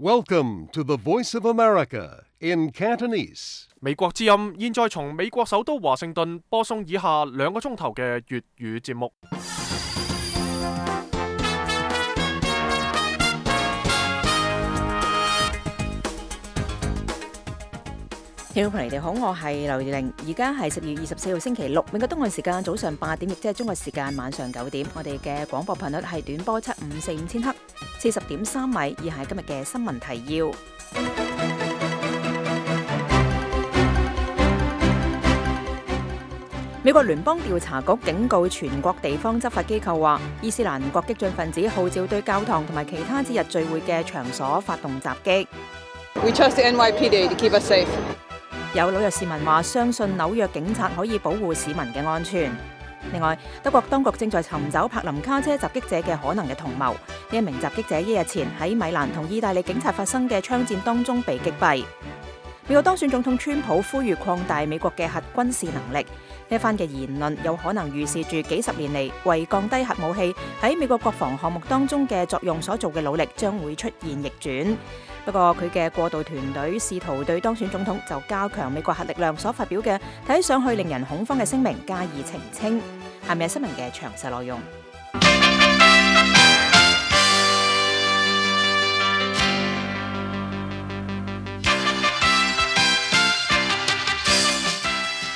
Welcome to the Voice of America in Cantonese. 美國之音現在從美國首都華盛頓播送以下2個鐘頭嘅粵語節目。聽眾朋友你好，我係劉玲，而家係10月24號星期六，美國東岸時間早上8點，亦即係中國時間晚上9點。我哋嘅廣播頻率係短波7545000赫，40.3米。以下係今日嘅新聞提要。美國聯邦調查局警告全國地方執法機構話，伊斯蘭國激進分子號召對教堂同埋其他節日聚會嘅場所發動襲擊。We trust the NYPD to keep us safe. 有紐約市民話相信紐約警察可以保護市民嘅安全。另外，德國當局正在尋找柏林卡車襲擊者嘅可能嘅同謀。呢一名襲擊者1日前喺米蘭同意大利警察發生嘅槍戰當中被擊斃。美國當選總統川普呼籲擴大美國嘅核軍事能力。呢一番嘅言論有可能預示住幾十年嚟為降低核武器喺美國國防項目當中嘅作用所做嘅努力將會出現逆轉。不過佢嘅過渡團隊試圖對當選總統就加強美國核力量所發表嘅睇上去令人恐慌嘅聲明加以澄清。下面係新聞嘅詳細內容。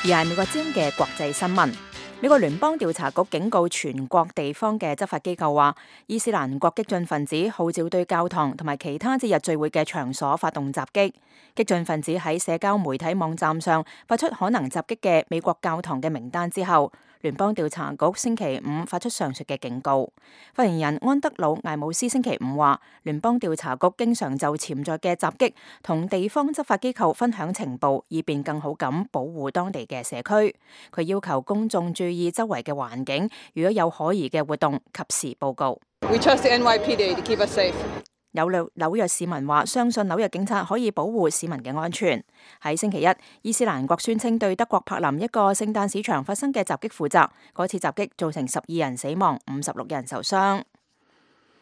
而係美國之音嘅國際新聞。美國聯邦調查局警告全國地方嘅執法機構話，伊斯蘭國激進分子號召對教堂同埋其他節日聚會嘅場所發動襲擊。激進分子喺社交媒體網站上發出可能襲擊嘅美國教堂嘅名單之後，聯邦調查局星期五發出上述嘅警告。發言人安德魯艾姆斯星期五話，聯邦調查局經常就潛在嘅襲擊同地方執法機構分享情報，以便更好咁保護當地嘅社區。佢要求公眾注意周圍嘅環境，如果有可疑嘅活動，及時報告。We trust the NYPD to keep us safe. 有紐約市民話相信紐約警察可以保護市民嘅安全。喺星期一，伊斯蘭國宣稱對德國柏林一個聖誕市場發生嘅襲擊負責。嗰次襲擊造成12人死亡，56人受傷。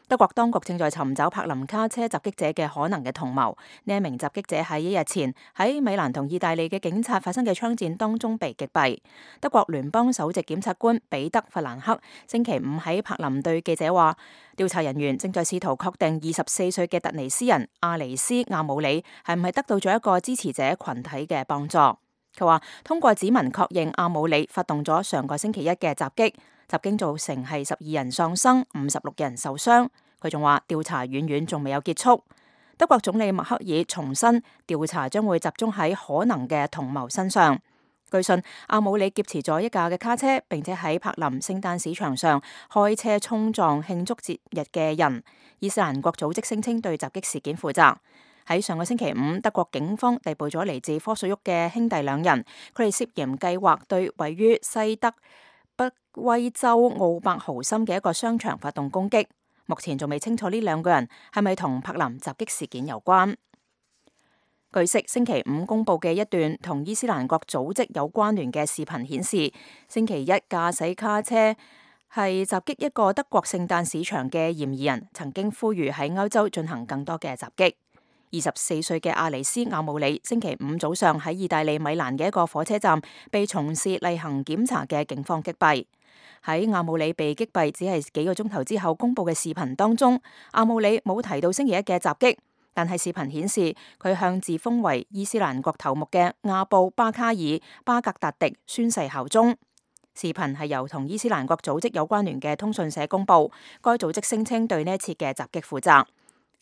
德國當局正在尋找柏林卡車襲擊者嘅可能嘅同謀。呢一名襲擊者喺1日前喺米蘭同意大利嘅警察發生嘅槍戰當中被擊斃。德國聯邦首席檢察官彼得弗蘭克星期五喺柏林對記者話，調查人員正在試圖確定24歲嘅突尼斯人阿尼斯亞姆里係唔係得到咗一個支持者群體嘅幫助。佢話通過指紋確認阿姆里發動咗上個星期一嘅襲擊，襲擊造成係12人喪生，56人受傷。佢仲話調查遠遠仲未有結束。德國總理默克爾重申調查將會集中喺可能嘅同謀身上。據信阿姆里劫持咗一架嘅卡車，並且喺柏林聖誕市場上開車衝撞慶祝節日嘅人。伊斯蘭國組織聲稱對襲擊事件負責。喺上個星期五，德國警方逮捕咗嚟自科索沃嘅兄弟2人，佢哋涉嫌計劃對位於西德北威州奧伯豪森嘅一個商場發動攻擊。目前仲未清楚呢2個人係咪同柏林襲擊事件有關。據悉，星期五公布嘅一段同伊斯蘭國組織有關聯嘅視頻顯示，星期一駕駛卡車係襲擊一個德國聖誕市場嘅嫌疑人，曾經呼籲喺歐洲進行更多嘅襲擊。24歲嘅阿尼斯亞姆里星期五早上喺意大利米蘭嘅一個火車站被從事例行檢查嘅警方擊斃。喺阿姆里被擊斃只係幾個鐘頭之後公布嘅視頻當中，阿姆里冇提到星期一嘅襲擊，但係視頻顯示佢向自封為伊斯蘭國頭目嘅亞布巴卡爾巴格達迪宣誓效忠。視頻係由同伊斯蘭國組織有關聯嘅通訊社公布，該組織聲稱對呢一次嘅襲擊負責。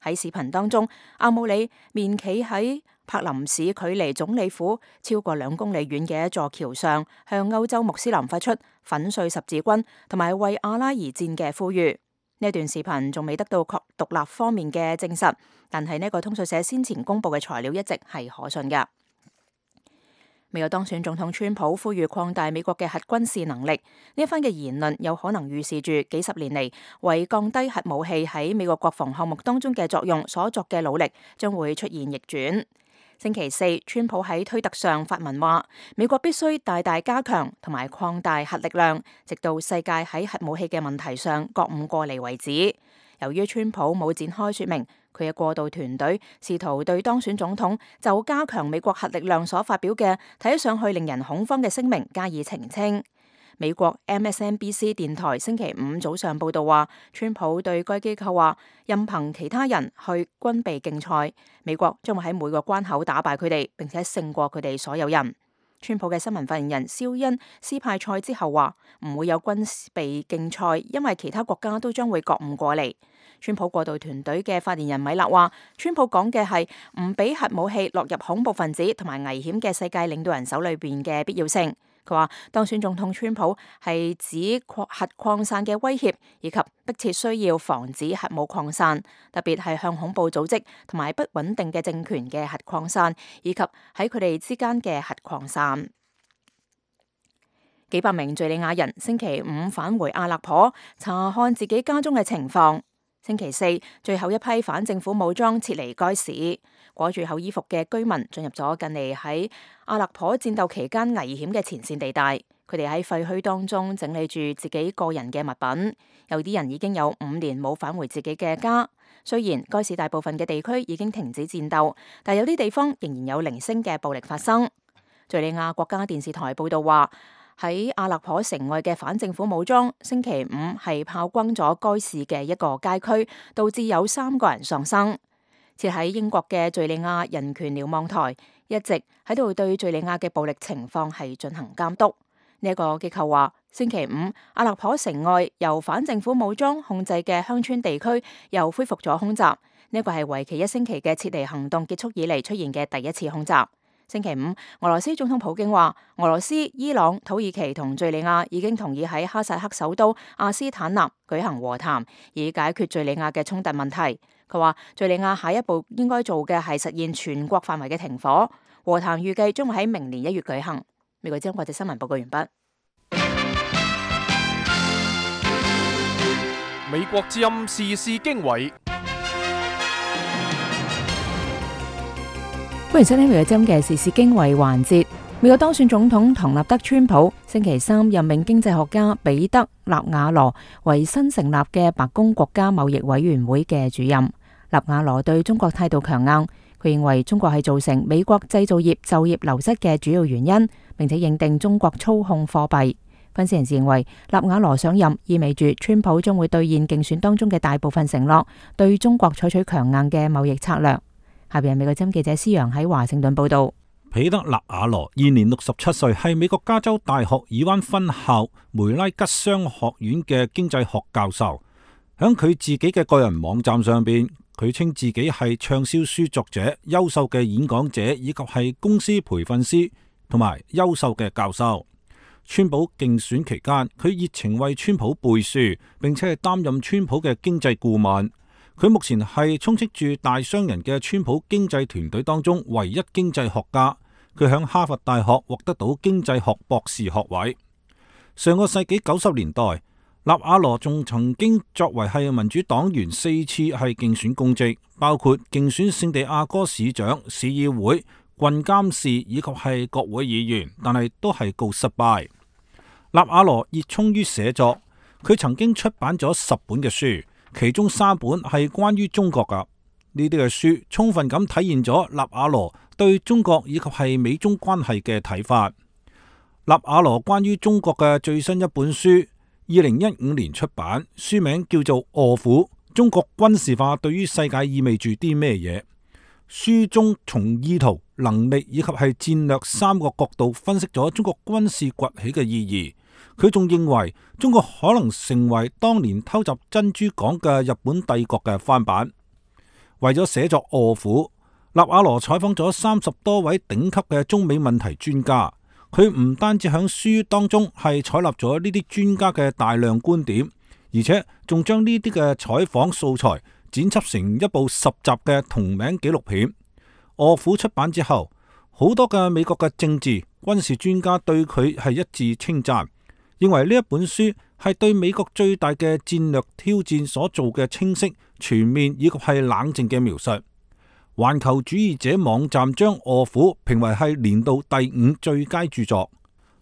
喺視頻當中，阿姆里面企喺柏林市距離總理府超過2公里遠嘅一座橋上，向歐洲穆斯林發出粉碎十字軍同埋為阿拉而戰嘅呼籲。呢段視頻仲未得到獨立方面嘅證實，但係呢個通訊社先前公布嘅材料一直係可信嘅。美國當選總統川普呼籲擴大美國嘅核軍事能力。呢一番嘅言論有可能預示住幾十年嚟為降低核武器喺美國國防項目當中嘅作用所作嘅努力將會出現逆轉。星期四，川普喺推特上發文話，美國必須大大加強同埋擴大核力量，直到世界喺核武器嘅問題上覺悟過嚟為止。由於川普冇展開說明，佢嘅過渡團隊試圖對當選總統就加強美國核力量所發表嘅睇上去令人恐慌嘅聲明加以澄清。美國 MSNBC 電台星期五早上報道話，川普對該機構話，任憑其他人去軍備競賽，美國將會喺每個關口打敗佢哋，並且勝過佢哋所有人。川普嘅新聞發言人肖恩斯派賽之後話，唔會有軍備競賽，因為其他國家都將會覺悟過嚟。川普過渡團隊嘅發言人米勒話，川普講嘅係唔俾核武器落入恐怖分子同埋危險嘅世界領導人手裏邊嘅必要性。佢話當選總統川普係指核擴散嘅威脅，以及迫切需要防止核武擴散，特別係向恐怖組織同埋不穩定嘅政權嘅核擴散，以及喺佢哋之間嘅核擴散。幾百名敘利亞人星期五返回阿勒頗查看自己家中嘅情況。星期四，最後一批反政府武裝撤離該市，裹住厚衣服嘅居民進入咗近嚟喺阿勒頗戰鬥期間危險嘅前線地帶。佢哋喺廢墟當中整理住自己個人嘅物品，有啲人已經有5年冇返回自己嘅家。雖然該市大部分嘅地區已經停止戰鬥，但有啲地方仍然有零星嘅暴力發生。敘利亞國家電視台報道話，喺阿勒頗城外嘅反政府武裝星期五係炮轟咗該市嘅一個街區，導致有3個人喪生。設喺英國嘅敘利亞人權瞭望台一直喺度對敘利亞嘅暴力情況係進行監督。呢一個機構話，星期五阿勒頗城外由反政府武裝控制嘅鄉村地區又恢復咗空襲。呢一個係為期1星期嘅撤離行動結束以嚟出現嘅第一次空襲。星期五，俄羅斯總統普京話，俄羅斯、伊朗、土耳其同敘利亞已經同意喺哈薩克首都阿斯坦納舉行和談，以解決敘利亞嘅衝突問題。佢話，敘利亞下一步應該做嘅係實現全國範圍嘅停火。和談預計將會喺明年1月舉行。美國之音國際新聞報告完畢。美國之音時事經緯。歡迎收聽美國之音嘅時事經緯環節。美國當選總統唐納德川普星期三任命經濟學家彼得納瓦羅為新成立嘅白宮國家貿易委員會嘅主任。納瓦羅對中國態度強硬，佢認為中國係造成美國製造業就業流失嘅主要原因，並且認定中國操控貨幣。分析人士認為，納瓦羅上任意味住川普將會兌現競選當中嘅大部分承諾，對中國採取強硬嘅貿易策略。下邊係美國之音記者施陽喺華盛頓報道。彼得納瓦羅現年67歲，係美國加州大學爾灣分校梅拉吉商學院嘅經濟學教授。響佢自己嘅個人網站上邊，佢稱自己係暢銷書作者、優秀嘅演講者，以及係公司培訓師同埋優秀嘅教授。川普競選期間，佢熱情為川普背書，並且係擔任川普嘅經濟顧問。佢目前係充斥住大商人嘅川普經濟團隊當中唯一經濟學家。佢響哈佛大學獲得到經濟學博士學位。上個世紀90年代，納瓦羅仲曾經作為係民主黨員4次係競選公職，包括競選聖地亞哥市長、市議會、郡監事以及係國會議員，但係都係告失敗。納瓦羅熱衷於寫作，佢曾經出版咗10本嘅書。其中3本係關於中國噶，呢啲嘅書充分咁體現咗納瓦羅對中國以及係美中關係嘅睇法。納瓦羅關於中國嘅最新一本書，2015年出版，書名叫做《餓虎：中國軍事化對於世界意味住啲咩嘢》。書中從意圖、能力以及係戰略3個角度分析咗中國軍事崛起嘅意義。佢仲認為中國可能成為當年偷襲珍珠港嘅日本帝國嘅翻版。為咗寫作《餓虎》，納瓦羅採訪咗30多位頂級嘅中美問題專家。佢唔單止喺書當中係採納咗呢啲專家嘅大量觀點，而且仲將呢啲嘅採訪素材剪輯成一部10集嘅同名紀錄片。《餓虎》出版之後，好多嘅美國嘅政治軍事專家對佢係一致稱讚，認為呢一本書係對美國最大嘅戰略挑戰所做嘅清晰、全面以及係冷靜嘅描述。環球主義者網站將《餓虎》評為係年度第5最佳著作。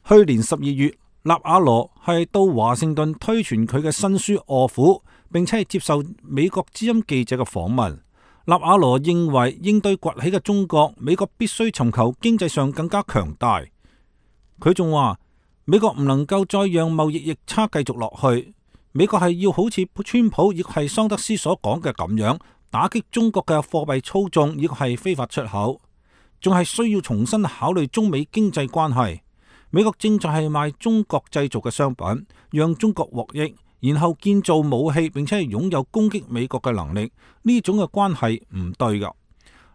去年12月，納瓦羅係到華盛頓推傳佢嘅新書《餓虎》，並且係接受美國之音記者嘅訪問。納瓦羅認為應對崛起嘅中國，美國必須尋求經濟上更加強大。佢仲話美國唔能夠再讓貿易逆差繼續落去，美國係要好似川普亦係桑德斯所講嘅咁樣，打擊中國嘅貨幣操縱亦係非法出口，仲係需要重新考慮中美經濟關係。美國正在係賣中國製造嘅商品，讓中國獲益，然後建造武器，並且係擁有攻擊美國嘅能力，呢種嘅關係唔對㗎。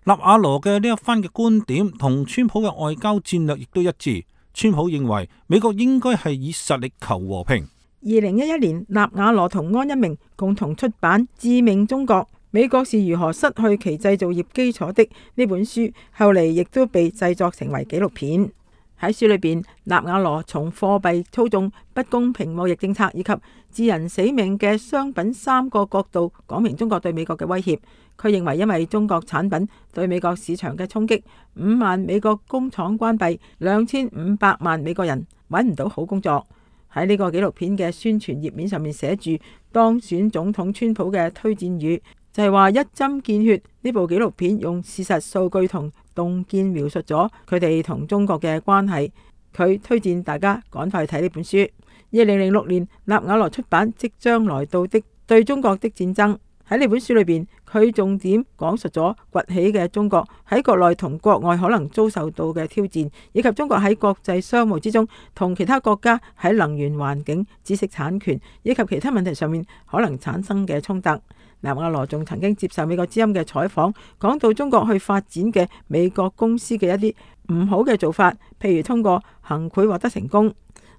納瓦羅嘅呢一番嘅觀點同川普嘅外交戰略亦都一致。川普認為美國應該係以實力求和平。2011年，納瓦羅同安一鳴共同出版《致命中國：美國是如何失去其製造業基礎的》呢本書，後嚟亦都被製作成為紀錄片。喺書裏邊，納瓦羅從貨幣操縱、不公平貿易政策以及致人死命嘅商品3個角度講明中國對美國嘅威脅。佢認為因為中國產品對美國市場嘅衝擊，5萬美國工廠關閉，2500萬美國人揾唔到好工作。喺呢個紀錄片嘅宣傳頁面上面寫住當選總統川普嘅推薦語，就係話一針見血。呢部紀錄片用事實、數據同洞見描述咗佢哋同中國嘅關係。佢推薦大家趕快去睇呢本書。2006年，納瓦羅出版《即將來到的對中國的戰爭》。喺呢本書裏邊，佢重點講述咗崛起嘅中國喺國內同國外可能遭受到嘅挑戰，以及中國喺國際商務之中同其他國家喺能源、環境、知識產權以及其他問題上面可能產生嘅衝突。納瓦羅仲曾經接受美國之音嘅採訪，講到中國去發展嘅美國公司嘅一啲唔好嘅做法，譬如通過行賄獲得成功。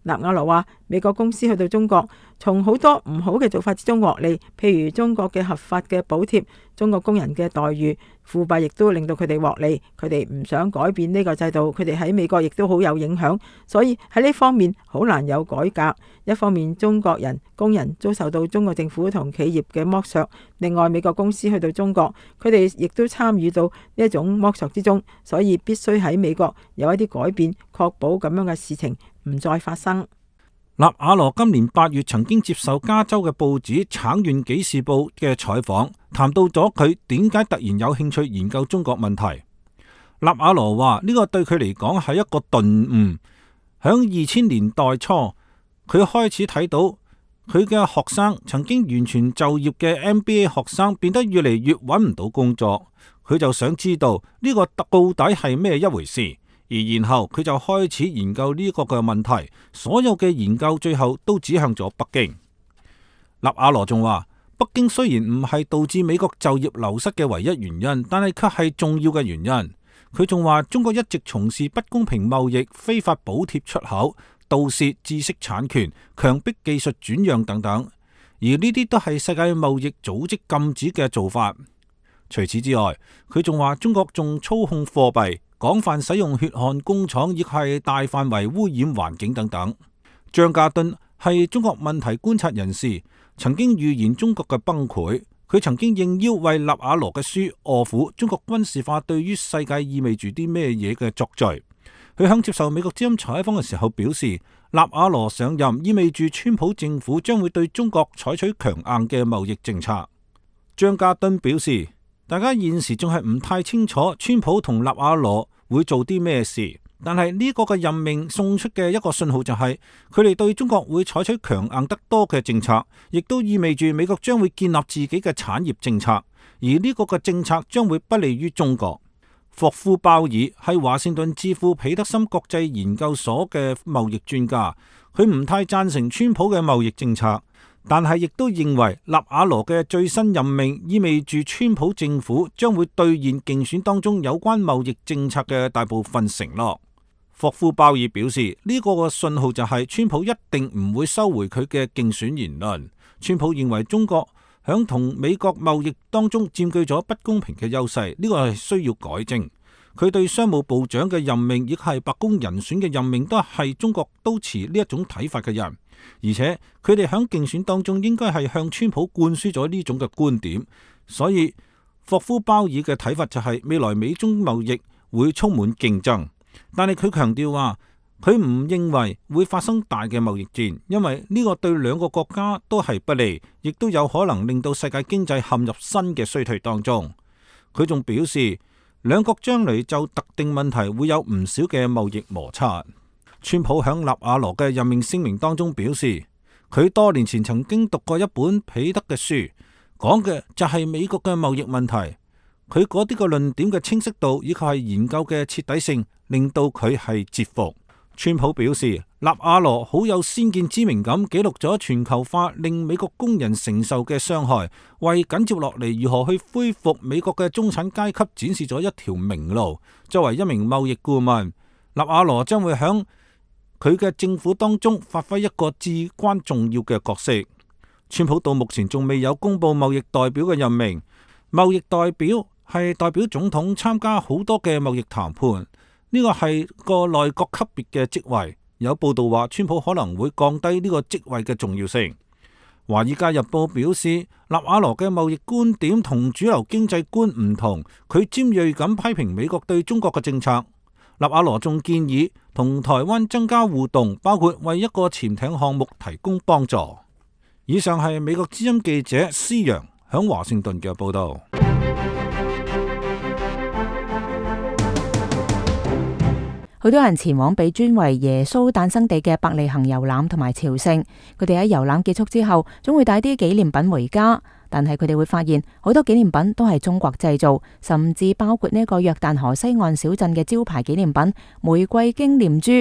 納瓦羅話美國公司去到中國，從好多唔好嘅做法之中獲利，譬如中國嘅合法嘅補貼、中國工人嘅待遇、腐敗，亦都令到佢哋獲利。佢哋唔想改變呢個制度，佢哋喺美國亦都好有影響，所以喺呢方面好難有改革。一方面中國人工人遭受到中國政府同企業嘅剝削，另外美國公司去到中國，佢哋亦都參與到呢一種剝削之中，所以必須喺美國有一啲改變，確保咁樣嘅事情唔再發生。納瓦羅今年8月曾經接受加州嘅報紙《橙縣紀事報》嘅採訪，談到咗佢點解突然有興趣研究中國問題。納瓦羅話呢個對佢嚟講係一個頓悟。響2000年代初，佢開始睇到佢嘅學生曾經完全就業嘅 MBA 學生變得越嚟越揾唔到工作，佢就想知道呢個到底係咩一回事。而然後佢就開始研究呢個嘅問題，所有嘅研究最後都指向咗北京。納瓦羅仲話，北京雖然唔係導致美國就業流失嘅唯一原因，但係卻係重要嘅原因。佢仲話，中國一直從事不公平貿易、非法補貼出口、盜竊知識產權、強迫技術轉讓等等，而呢啲都係世界貿易組織禁止嘅做法。除此之外，佢仲話中國仲操控貨幣，廣泛使用血汗工廠，亦係大範圍污染環境等等。張家敦係中國問題觀察人士，曾經預言中國嘅崩潰。佢曾經應邀為納瓦羅嘅書《餓苦：中國軍事化對於世界意味住啲咩嘢》嘅作序。佢響接受美國之音採訪嘅時候表示，納瓦羅上任意味住川普政府將會對中國採取強硬嘅貿易政策。張家敦表示，大家現時仲係唔太清楚川普同納瓦羅會做啲咩事，但係呢個嘅任命送出嘅一個信號就係佢哋對中國會採取強硬得多嘅政策，亦都意味住美國將會建立自己嘅產業政策，而呢個嘅政策將會不利於中國。霍夫鮑爾係華盛頓智庫彼得森國際研究所嘅貿易專家，佢唔太贊成川普嘅貿易政策，但係亦都認為納瓦羅嘅最新任命意味住川普政府將會兌現競選當中有關貿易政策嘅大部分承諾。霍夫鮑爾表示，呢個嘅信號就係川普一定唔會收回佢嘅競選言論。川普認為中國響同美國貿易當中佔據咗不公平嘅優勢，呢個係需要改正。佢對商務部長嘅任命，亦係白宮人選嘅任命，都係中國都持呢一種睇法嘅人，而且佢哋響競選當中應該係向川普灌輸咗呢種嘅觀點。所以霍夫鮑爾嘅睇法就係未來美中貿易會充滿競爭，但係佢強調話佢唔認為會發生大嘅貿易戰，因為呢個對兩個國家都係不利，亦都有可能令到世界經濟陷入新嘅衰退當中。佢仲表示，兩國將來就特定問題會有唔少嘅貿易摩擦。川普響納瓦羅嘅任命聲明當中表示，佢多年前曾經讀過一本彼得嘅書，講嘅就係美國嘅貿易問題。佢嗰啲個論點嘅清晰度以及係研究嘅徹底性，令到佢係折服。川普表示，納瓦羅好有先見之明咁記錄咗全球化令美國工人承受嘅傷害，為緊接落嚟如何去恢復美國嘅中產階級展示咗一條明路。作為一名貿易顧問，納瓦羅將會響佢嘅政府當中發揮一個至關重要嘅角色。川普到目前仲未有公布貿易代表嘅任命，貿易代表係代表總統參加好多嘅貿易談判。呢個係個內閣級別嘅職位，有報道話川普可能會降低呢個職位嘅重要性。華爾街日報表示，納瓦羅嘅貿易觀點同主流經濟觀唔同，佢尖銳咁批評美國對中國嘅政策。納瓦羅仲建議同台灣增加互動，包括為一個潛艇項目提供幫助。以上係美國之音記者施陽響華盛頓嘅報道。好多人前往被尊為耶穌誕生地嘅伯利恆遊覽同埋朝聖，佢哋喺遊覽結束之後，總會帶啲紀念品回家。但係佢哋會發現好多紀念品都係中國製造，甚至包括呢個約旦河西岸小鎮嘅招牌紀念品玫瑰經念珠。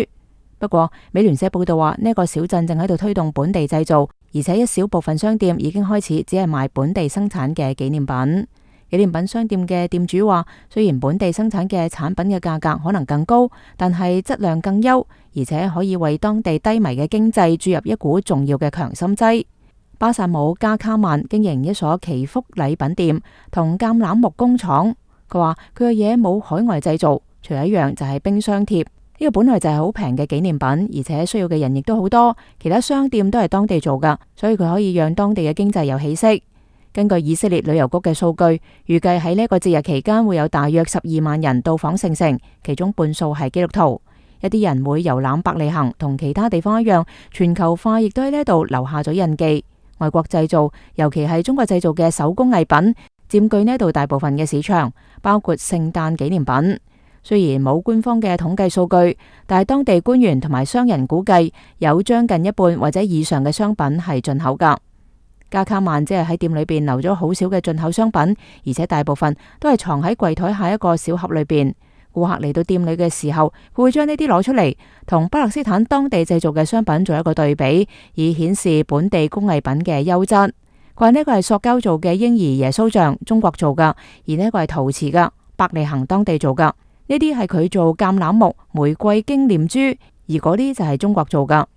不過，美聯社報道話呢個小鎮正喺度推動本地製造，而且一小部分商店已經開始只係賣本地生產嘅紀念品。紀念品商店嘅店主話，雖然本地生產嘅產品嘅價格可能更高，但係質量更優，而且可以為當地低迷嘅經濟注入一股重要嘅強心劑。巴薩姆加卡曼經營一所祈福禮品店同橄欖木工廠，佢話佢嘅嘢冇海外製造，除咗一樣就係冰箱貼。呢個本來就係好平嘅紀念品，而且需要嘅人亦都好多，其他商店都係當地做㗎，所以佢可以讓當地嘅經濟有起色。根據以色列旅遊局嘅數據，預計喺呢個節日期間會有大約12萬人到訪聖城，其中半數係基督徒。一啲人會遊覽伯利恆，同其他地方一樣，全球化亦都喺呢度留下咗印記。外國製造，尤其係中國製造嘅手工藝品，佔據呢度大部分嘅市場，包括聖誕紀念品。雖然冇官方嘅統計數據，但係當地官員同埋商人估計，有將近一半或者以上嘅商品係進口㗎。加卡曼只係喺店裏邊留咗好少嘅進口商品，而且大部分都係藏喺櫃台下一個小盒裏邊。顧客嚟到店裏嘅時候，佢會將呢啲攞出嚟，同巴勒斯坦當地製造嘅商品做一個對比，以顯示本地工藝品嘅優質。佢話呢個係塑膠做嘅嬰兒耶穌像，中國做噶；而呢個係陶瓷噶，伯利恆當地做噶。呢啲係佢做橄欖木玫瑰經念珠，而嗰啲就係中國做噶。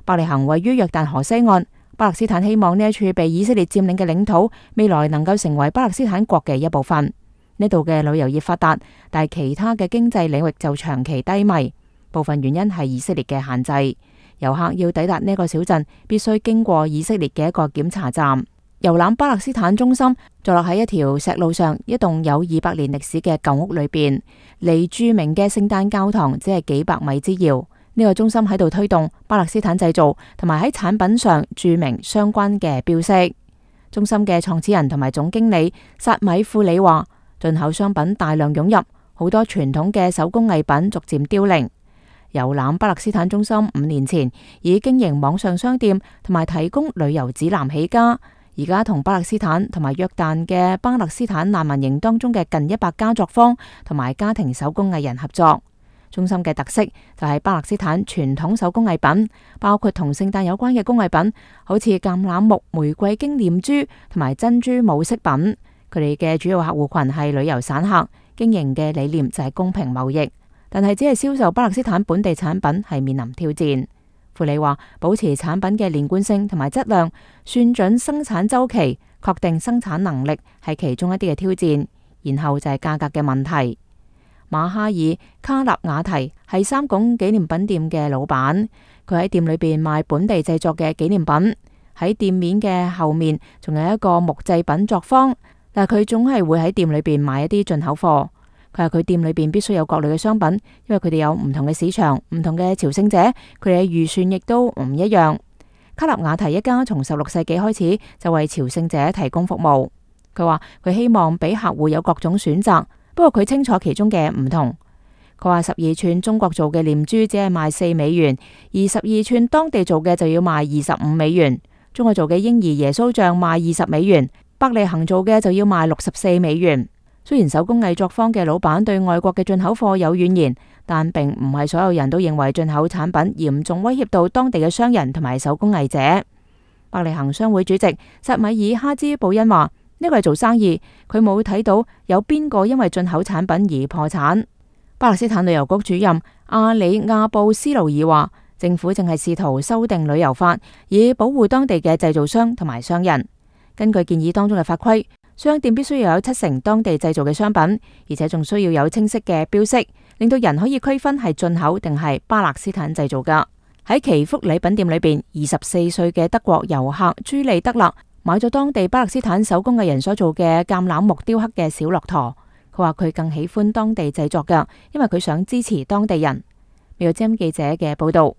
伯利恆位於約旦河西岸。巴勒斯坦希望呢一處被以色列佔領嘅領土，未來能夠成為巴勒斯坦國嘅一部分。呢度嘅旅遊業發達，但係其他嘅經濟領域就長期低迷。部分原因係以色列嘅限制。遊客要抵達呢個小鎮，必須經過以色列嘅一個檢查站。遊覽巴勒斯坦中心坐落喺一條石路上，一棟有200年歷史嘅舊屋裏邊，離著名嘅聖誕教堂只係幾百米之遙。呢個中心喺度推動巴勒斯坦製造，同埋喺產品上注明相關嘅標識。中心嘅創始人同埋總經理薩米庫里話，進口商品大量湧入，好多傳統嘅手工藝品逐漸凋零。遊覽巴勒斯坦中心5年前以經營網上商店同埋提供旅遊指南起家，而家同巴勒斯坦同埋約旦嘅巴勒斯坦難民營當中嘅近100家作坊同埋家庭手工藝人合作。中心嘅特色就係巴勒斯坦傳統手工藝品，包括同聖誕有關嘅工藝品，好似橄欖木玫瑰經念珠同埋珍珠母飾品。佢哋嘅主要客戶群係旅遊散客，經營嘅理念就係公平貿易，但係只係銷售巴勒斯坦本地產品係面臨挑戰。庫里話，保持產品嘅連貫性同埋質量，算準生產週期，確定生產能力係其中一啲嘅挑戰，然後就係價格嘅問題。馬哈爾卡納瓦提係三拱紀念品店嘅老闆，佢喺店裏邊賣本地製作嘅紀念品。喺店面嘅後面仲有一個木製品作坊，但佢總係會喺店裏邊賣一啲進口貨。佢話佢店裏邊必須有各類嘅商品，因為佢哋有唔同嘅市場、唔同嘅朝聖者，佢哋嘅預算亦都唔一樣。卡納瓦提一家從16世紀開始就為朝聖者提供服務。佢話佢希望俾客戶有各種選擇，不過佢清楚其中嘅唔同。佢話12寸中國做嘅念珠只係賣4美元，而12寸當地做嘅就要賣25美元。中國做嘅嬰兒耶穌像賣20美元，伯利恆做嘅就要賣64美元。雖然手工藝作坊嘅老闆對外國嘅進口貨有怨言，但並唔係所有人都認為進口產品嚴重威脅到當地嘅商人同埋手工藝者。伯利恆商會主席薩米爾哈茲布恩話：呢個係做生意，佢冇睇到有邊個因為進口產品而破產。巴勒斯坦旅遊局主任阿里亞布斯魯爾話：政府正係試圖修訂旅遊法，以保護當地嘅製造商同埋商人。根據建議當中嘅法規，商店必須要有70%當地製造嘅商品，而且仲需要有清晰嘅標識，令到人可以區分係進口定係巴勒斯坦製造噶。喺祈福禮品店裏邊，24歲嘅德國遊客朱利德勒買咗當地巴勒斯坦手工藝人所做嘅橄欖木雕刻嘅小駱駝。佢話佢更喜歡當地製作噶，因為佢想支持當地人。美國之音記者嘅報道。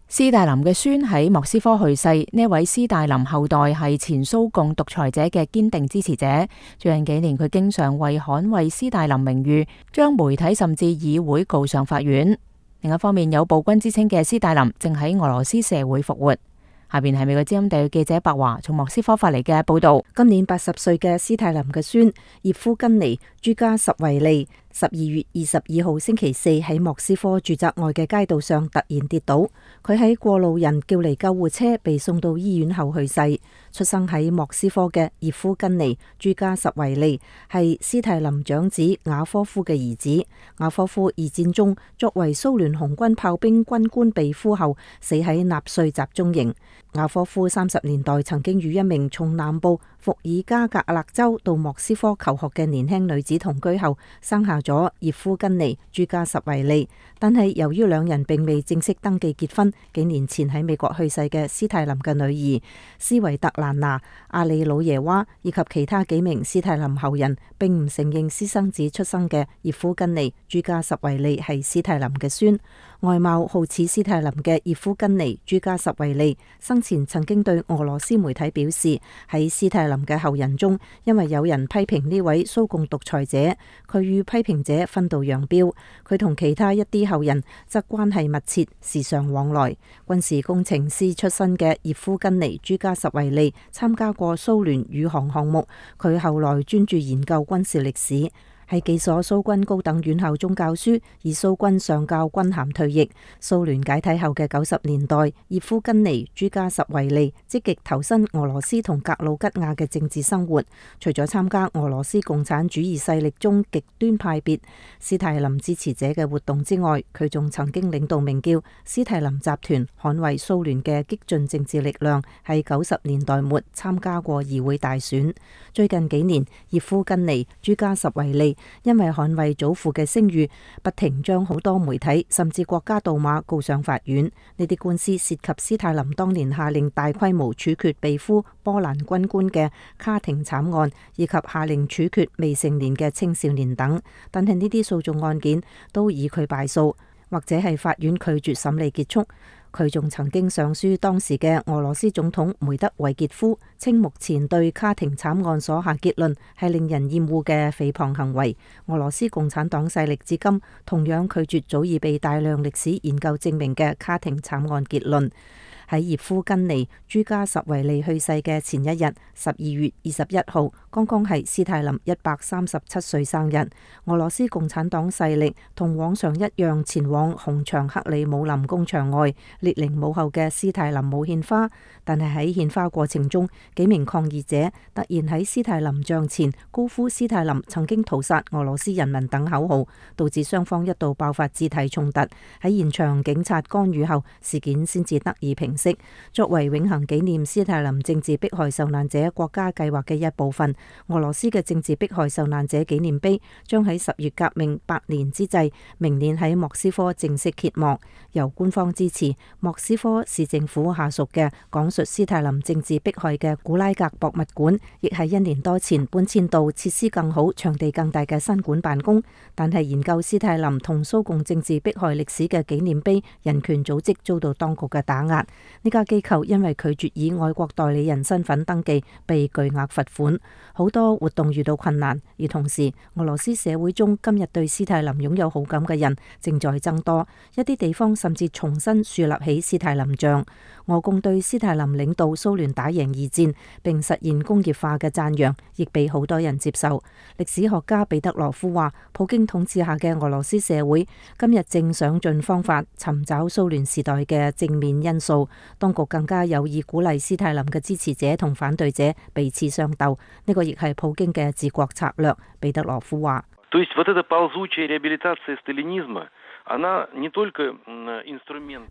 斯大林嘅孫喺莫斯科去世，呢位斯大林後代係前蘇共獨裁者嘅堅定支持者。最近幾年，佢經常為捍衛斯大林名譽，將媒體甚至議會告上法院。另一方面，有暴君之稱嘅斯大林正喺俄羅斯社會復活。下邊係美國之音特約記者白華從莫斯科發嚟嘅報道。今年80歲嘅斯大林嘅孫葉夫根尼朱加什維利12月22號星期四喺莫斯科住宅外嘅街道上突然跌倒，佢喺過路人叫嚟救護車被送到醫院後去世。出生喺莫斯科嘅葉夫根尼朱加什維利係斯大林長子雅科夫嘅兒子。雅科夫二戰中作為蘇聯紅軍炮兵軍官被俘後死喺納粹集中營。雅科夫30年代曾經與一名從南部伏爾加格勒州到莫斯科求學嘅年輕女子同居後，生下咗葉夫根尼朱加什維利。但係由於兩人並未正式登記結婚，幾年前喺美國去世嘅斯大林嘅女兒斯維特蘭娜、阿里魯耶娃以及其他幾名斯大林後人，並唔承認私生子出生嘅葉夫根尼朱加什維利係斯大林嘅孫。外貌好似斯大林嘅葉夫根尼朱加什維利生前曾經對俄羅斯媒體表示，喺斯大林嘅後人中，因為有人批評呢位蘇共獨裁者，佢與批評者分道揚鑣。佢同其他一啲後人則關係密切，時常往來。軍事工程師出身嘅葉夫根尼朱加什維利參加過蘇聯宇航項目，佢後來專注研究軍事歷史。喺幾所蘇軍高等院校中教書，而蘇軍上校軍銜退役。蘇聯解體後嘅90年代，葉夫根尼朱加什維利積極投身俄羅斯同格魯吉亞嘅政治生活。除咗參加俄羅斯共產主義勢力中極端派別斯大林支持者嘅活動之外，佢仲曾經領導名叫斯大林集團捍衛蘇聯嘅激進政治力量，喺90年代末參加過議會大選。最近幾年，葉夫根尼朱加什維利因為捍衛祖父嘅聲譽，不停將好多媒體甚至國家杜馬告上法院。呢啲官司涉及斯大林當年下令大規模處決被俘波蘭軍官嘅卡廷慘案，以及下令處決未成年嘅青少年等。但係呢啲訴訟案件都以佢敗訴，或者係法院拒絕審理結束。佢仲曾經上書當時嘅俄羅斯總統梅德韋傑夫，稱目前對卡廷慘案所下結論係令人厭惡嘅誹謗行為。俄羅斯共產黨勢力至今同樣拒絕早已被大量歷史研究證明嘅卡廷慘案結論。喺葉夫根尼朱加什維利去世嘅前一日，12月21號，剛剛係斯大林137歲生日。俄羅斯共產黨勢力同往常一樣前往紅場克里姆林宮場外列寧墓後嘅斯大林墓獻花，但係喺獻花過程中，幾名抗議者突然喺斯大林像前高呼斯大林曾經屠殺俄羅斯人民等口號，導致雙方一度爆發肢體衝突。喺現場警察干預後，事件先至得以平息。式。作為永恆紀念斯泰林政治迫害受難者國家計劃嘅一部分，俄羅斯嘅政治迫害受難者紀念碑將喺10月革命100年之際，明年喺莫斯科正式揭幕。由官方支持，莫斯科市政府下屬嘅講述斯泰林政治迫害嘅古拉格博物館，亦喺1年多前搬遷到設施更好、場地更大嘅新館辦公。但係研究斯泰林同蘇共政治迫害歷史嘅紀念碑人權組織遭到當局嘅打壓，呢家機構因為拒絕以外國代理人身份登記，被巨額罰款，好多活動遇到困難。而同時，俄羅斯社會中今日對斯泰林擁有好感嘅人正在增多，一啲地方甚至重新樹立起斯泰林像。俄共對斯泰林領導蘇聯打贏2戰並實現工業化嘅讚揚，亦被好多人接受。歷史學家彼得羅夫話，普京統治下嘅俄羅斯社會今日正想盡方法尋找蘇聯時代嘅正面因素，當局更加有意鼓勵斯泰林嘅支持者同反對者彼此相鬥，呢個亦係普京嘅治國策略。彼得羅夫話。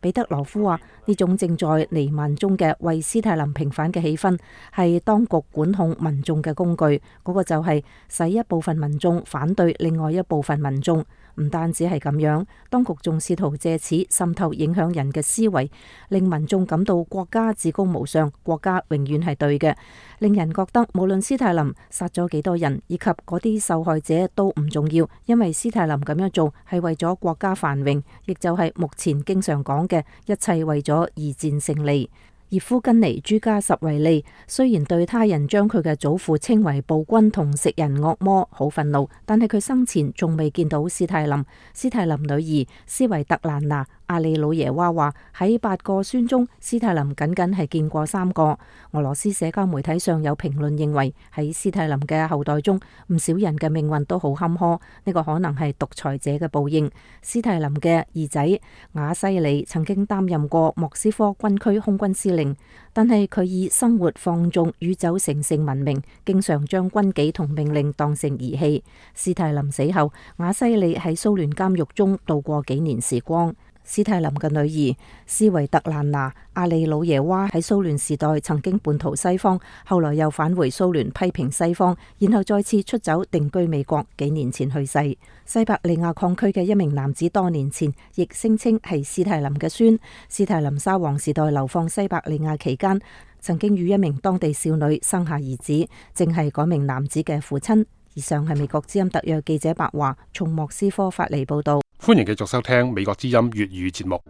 彼得羅夫話：呢種正在彌漫中嘅為斯泰林平反嘅氣氛，係當局管控民眾嘅工具，嗰個就係使一部分民眾反對另外一部分民眾。唔單止係咁樣，當局仲試圖借此滲透影響人嘅思維，令民眾感到國家至高無上，國家永遠係對嘅，令人覺得無論斯泰林殺咗幾多人，以及嗰啲受害者都唔重要，因為斯泰林咁樣做係為咗國家繁榮，亦就係目前經常講嘅一切為咗二戰勝利。葉夫根尼·朱加什維利雖然對他人將佢嘅祖父稱為暴君同食人惡魔好憤怒，但係佢生前仲未見到斯泰林。斯泰林女兒斯維特蘭娜·阿里魯耶娃話，喺8個孫中，斯泰林僅僅係見過3個。俄羅斯社交媒體上有評論認為，喺斯泰林嘅後代中，唔少人嘅命運都好坎坷，呢個可能係獨裁者嘅報應。斯泰林嘅兒仔瓦西里曾經擔任過莫斯科軍區空軍司令，但係佢以生活放縱與酒成性聞名，經常將軍紀同命令當成兒戲。斯泰林死後，瓦西里喺蘇聯監獄中度過幾年時光。斯泰林嘅女兒斯維特蘭娜·阿里魯耶娃喺蘇聯時代曾經叛逃西方，後來又返回蘇聯批評西方，然後再次出走定居美國，幾年前去世。西伯利亞礦區嘅一名男子多年前亦聲稱係斯泰林嘅孫。斯泰林沙皇時代流放西伯利亞期間，曾經與一名當地少女生下兒子，正係嗰名男子嘅父親。以上係美國之音特約記者白華從莫斯科發嚟報道。歡迎繼續收聽美國之音粵語節目。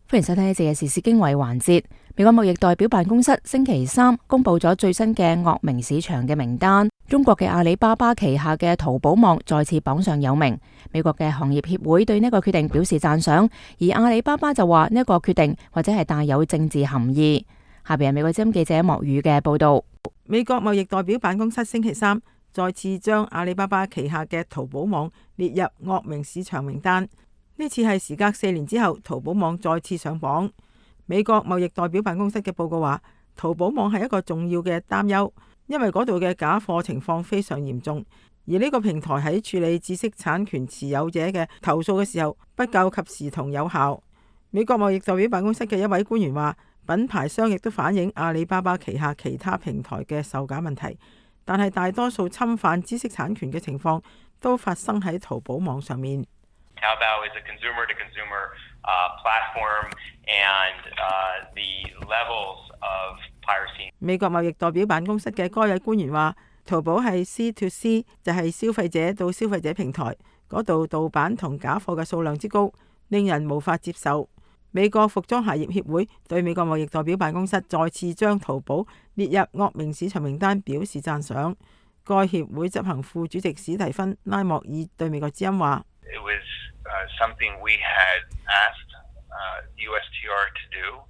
歡迎收聽呢節嘅時事經緯環節。美國貿易代表辦公室星期3公布咗最新嘅惡名市場嘅名單，中國嘅阿里巴巴旗下嘅淘寶網再次榜上有名。美國嘅行業協會對呢個決定表示讚賞，而阿里巴巴就話呢個決定或者係帶有政治含義。下邊係美國之音記者莫宇嘅報道。美國貿易代表辦公室星期3再次將阿里巴巴旗下嘅淘寶網列入惡名市場名單。呢次係時隔4年之後，淘寶網再次上榜。美國貿易代表辦公室嘅報告話，淘寶網係一個重要嘅擔憂，因為嗰度嘅假貨情況非常嚴重，而呢個平台喺處理知識產權持有者嘅投訴嘅時候不夠及時同有效。美國貿易代表辦公室嘅一位官員話，品牌商亦都反映阿里巴巴旗下其他平台嘅售假問題，但係大多數侵犯知識產權嘅情況都發生喺淘寶網上面。Taobao is a consumer-to-consumer platform, and the levels of piracy. 美國貿易代表辦公室嘅該位官員話，淘寶係 C2C， 就係消費者到消費者平台，嗰度盜版同假貨嘅數量之高，令人無法接受。美國服裝鞋業協會對美國貿易代表辦公室再次將淘寶列入惡名市場名單表示讚賞。該協會執行副主席史提芬拉莫爾對美國之音話：It was something we had asked USTR to do,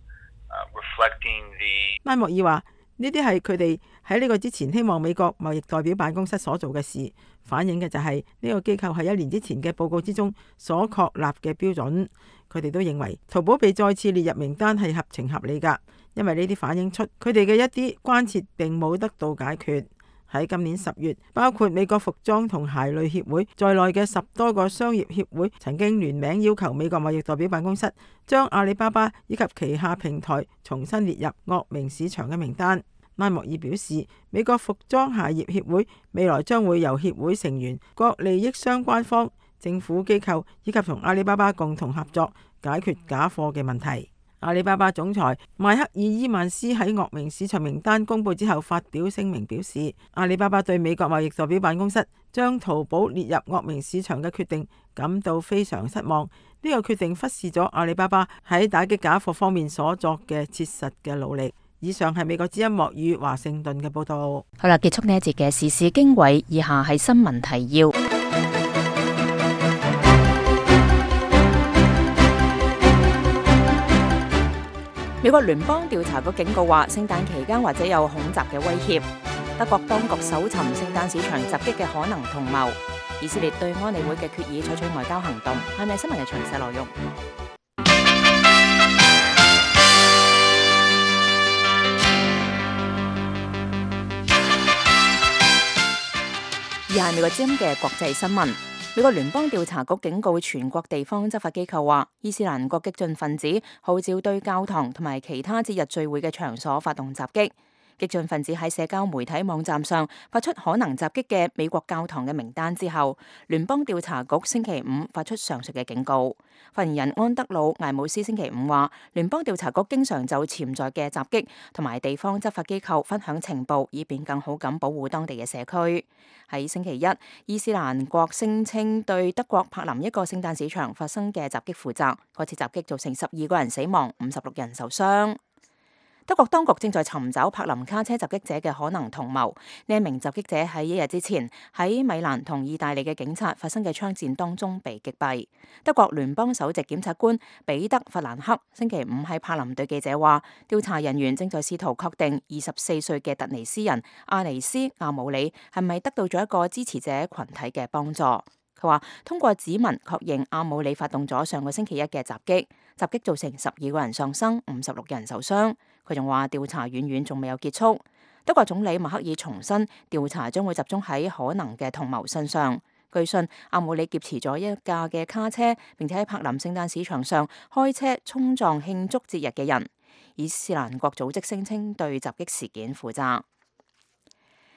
reflecting the。拉莫爾話：呢啲係佢哋喺呢個之前希望美國貿易代表辦公室所做嘅事，反映嘅就係呢個機構喺1年之前嘅報告之中所確立嘅標準。佢哋都認為淘寶被再次列入名單係合情合理㗎，因為呢啲反映出佢哋嘅一啲關切並冇得到解決。喺今年10月，包括美國服裝同鞋類協會在內嘅10多個商業協會曾經聯名要求美國貿易代表辦公室將阿里巴巴以及旗下平台重新列入惡名市場嘅名單。拉莫爾表示，美國服裝鞋業協會未來將會由協會成員、各利益相關方、政府機構以及同阿里巴巴共同合作，解決假貨嘅問題。阿里巴巴總裁邁克爾伊曼斯喺惡名市場名單公佈之後發表聲明表示，阿里巴巴對美國貿易代表辦公室將淘寶列入惡名市場嘅決定感到非常失望。呢個決定忽視咗阿里巴巴喺打擊假貨方面所作嘅切實嘅努力。以上係美國之音莫語華盛頓嘅報道。好啦，結束呢一節嘅時事經緯，以下係新聞提要。美國聯邦調查局警告話，聖誕期間或者有恐襲嘅威脅。德國當局搜尋聖誕市場襲擊嘅可能同謀。以色列對安理會嘅決議採取外交行動。係咪新聞嘅詳細內容？以下係美國之音嘅國際新聞。美國聯邦調查局警告全國地方執法機構話，伊斯蘭國激進分子號召對教堂同埋其他節日聚會嘅場所發動襲擊。激進分子喺社交媒體網站上發出可能襲擊嘅美國教堂嘅名單之後，聯邦調查局星期五發出上述嘅警告。發言人安德魯艾姆斯星期五話，聯邦調查局經常就潛在嘅襲擊同埋地方執法機構分享情報，以便更好咁保護當地嘅社區。喺星期一，伊斯蘭國聲稱對德國柏林一個聖誕市場發生嘅襲擊負責，嗰次襲擊造成12個人死亡，56人受傷。德國當局正在尋找柏林卡車襲擊者嘅可能同謀。呢一名襲擊者喺1日之前喺米蘭同意大利嘅警察發生嘅槍戰當中被擊斃。德國聯邦首席檢察官彼得弗蘭克星期五喺柏林對記者話，調查人員正在試圖確定24歲嘅突尼斯人阿尼斯阿姆里係咪得到咗一個支持者群體嘅幫助。佢話通過指紋確認阿姆里發動咗上個星期一嘅襲擊，襲擊造成12個人喪生，56人受傷。佢仲話調查遠遠仲未有結束。德國總理默克爾重申調查將會集中喺可能嘅同謀身上。據信阿姆里劫持咗一架嘅卡車，並且喺柏林聖誕市場上開車衝撞慶祝節日嘅人。伊斯蘭國組織聲稱對襲擊事件負責。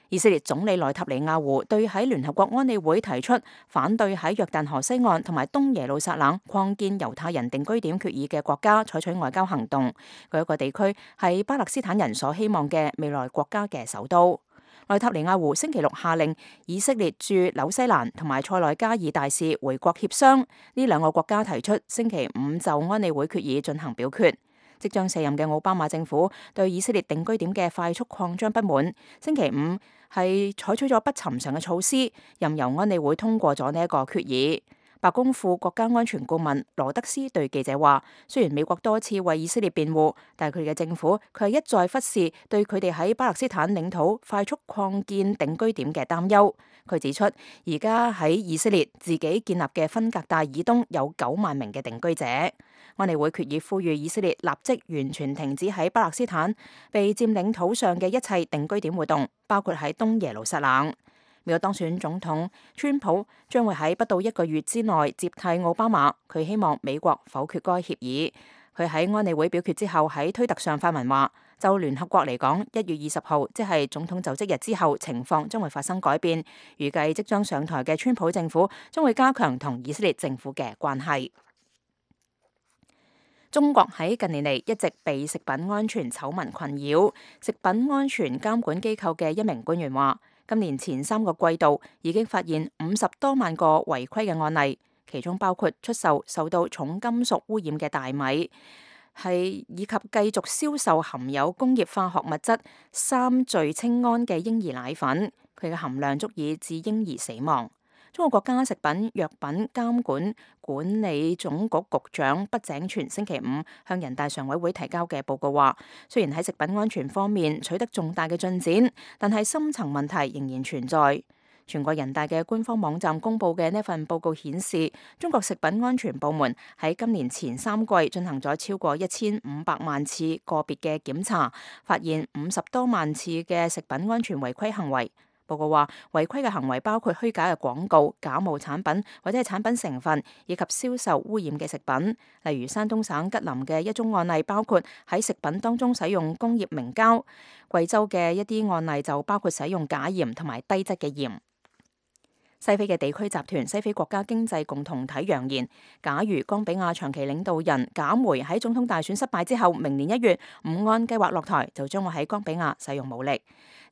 以色列總理內塔尼亞胡對喺聯合國安理會提出反對喺約旦河西岸同埋東耶路撒冷擴建猶太人定居點決議嘅國家採取外交行動。嗰一個地區係巴勒斯坦人所希望嘅未來國家嘅首都。內塔尼亞胡星期六下令以色列駐紐西蘭同埋塞內加爾大使回國協商。呢兩個國家提出星期五就安理會決議進行表決。即將卸任嘅奧巴馬政府對以色列定居點嘅快速擴張不滿，星期五係採取咗不尋常嘅措施，任由安理會通過咗呢一個決議。白宮副國家安全顧問羅德斯對記者話，雖然美國多次為以色列辯護，但係佢哋嘅政府佢係一再忽視對佢哋喺巴勒斯坦領土快速擴建定居點嘅擔憂。佢指出，而家喺以色列自己建立嘅分隔帶以東有9萬名嘅定居者。安理會決議呼籲以色列立即完全停止喺巴勒斯坦被佔領土上嘅一切定居點活動，包括喺東耶路撒冷。美國當選總統川普將會喺不到1個月之內接替奧巴馬，佢希望美國否決該協議。佢喺安理會表決之後喺推特上發文話，就聯合國嚟講，1月20號即係總統就職日之後，情況將會發生改變。預計即將上台嘅川普政府將會加強同以色列政府嘅關係。中國喺近年嚟一直被食品安全醜聞困擾。食品安全監管機構嘅一名官員話，今年前3個季度已經發現50多萬個違規嘅案例，其中包括出售受到重金屬污染嘅大米，以及繼續銷售含有工業化學物質3聚氰胺嘅嬰兒奶粉，佢嘅含量足以致嬰兒死亡。中國國家食品藥品監管管理總局局長畢井泉星期五向人大常委會提交嘅報告話，雖然喺食品安全方面取得重大嘅進展，但係深層問題仍然存在。全國人大嘅官方網站公佈嘅呢份報告顯示，中國食品安全部門喺今年前3季進行咗超過1500萬次個別嘅檢查，發現50多萬次嘅食品安全違規行為。報告話，違規嘅行為包括虛假嘅廣告、假冒產品或者係產品成分，以及銷售污染嘅食品。例如山東省吉林嘅一宗案例，包括喺食品當中使用工業明膠；貴州嘅一啲案例就包括使用假鹽同埋低質嘅鹽。西非嘅地區集團西非國家經濟共同體揚言，假如岡比亞長期領導人賈梅喺總統大選失敗之後，明年1月唔按計劃落台，就將會喺岡比亞使用武力。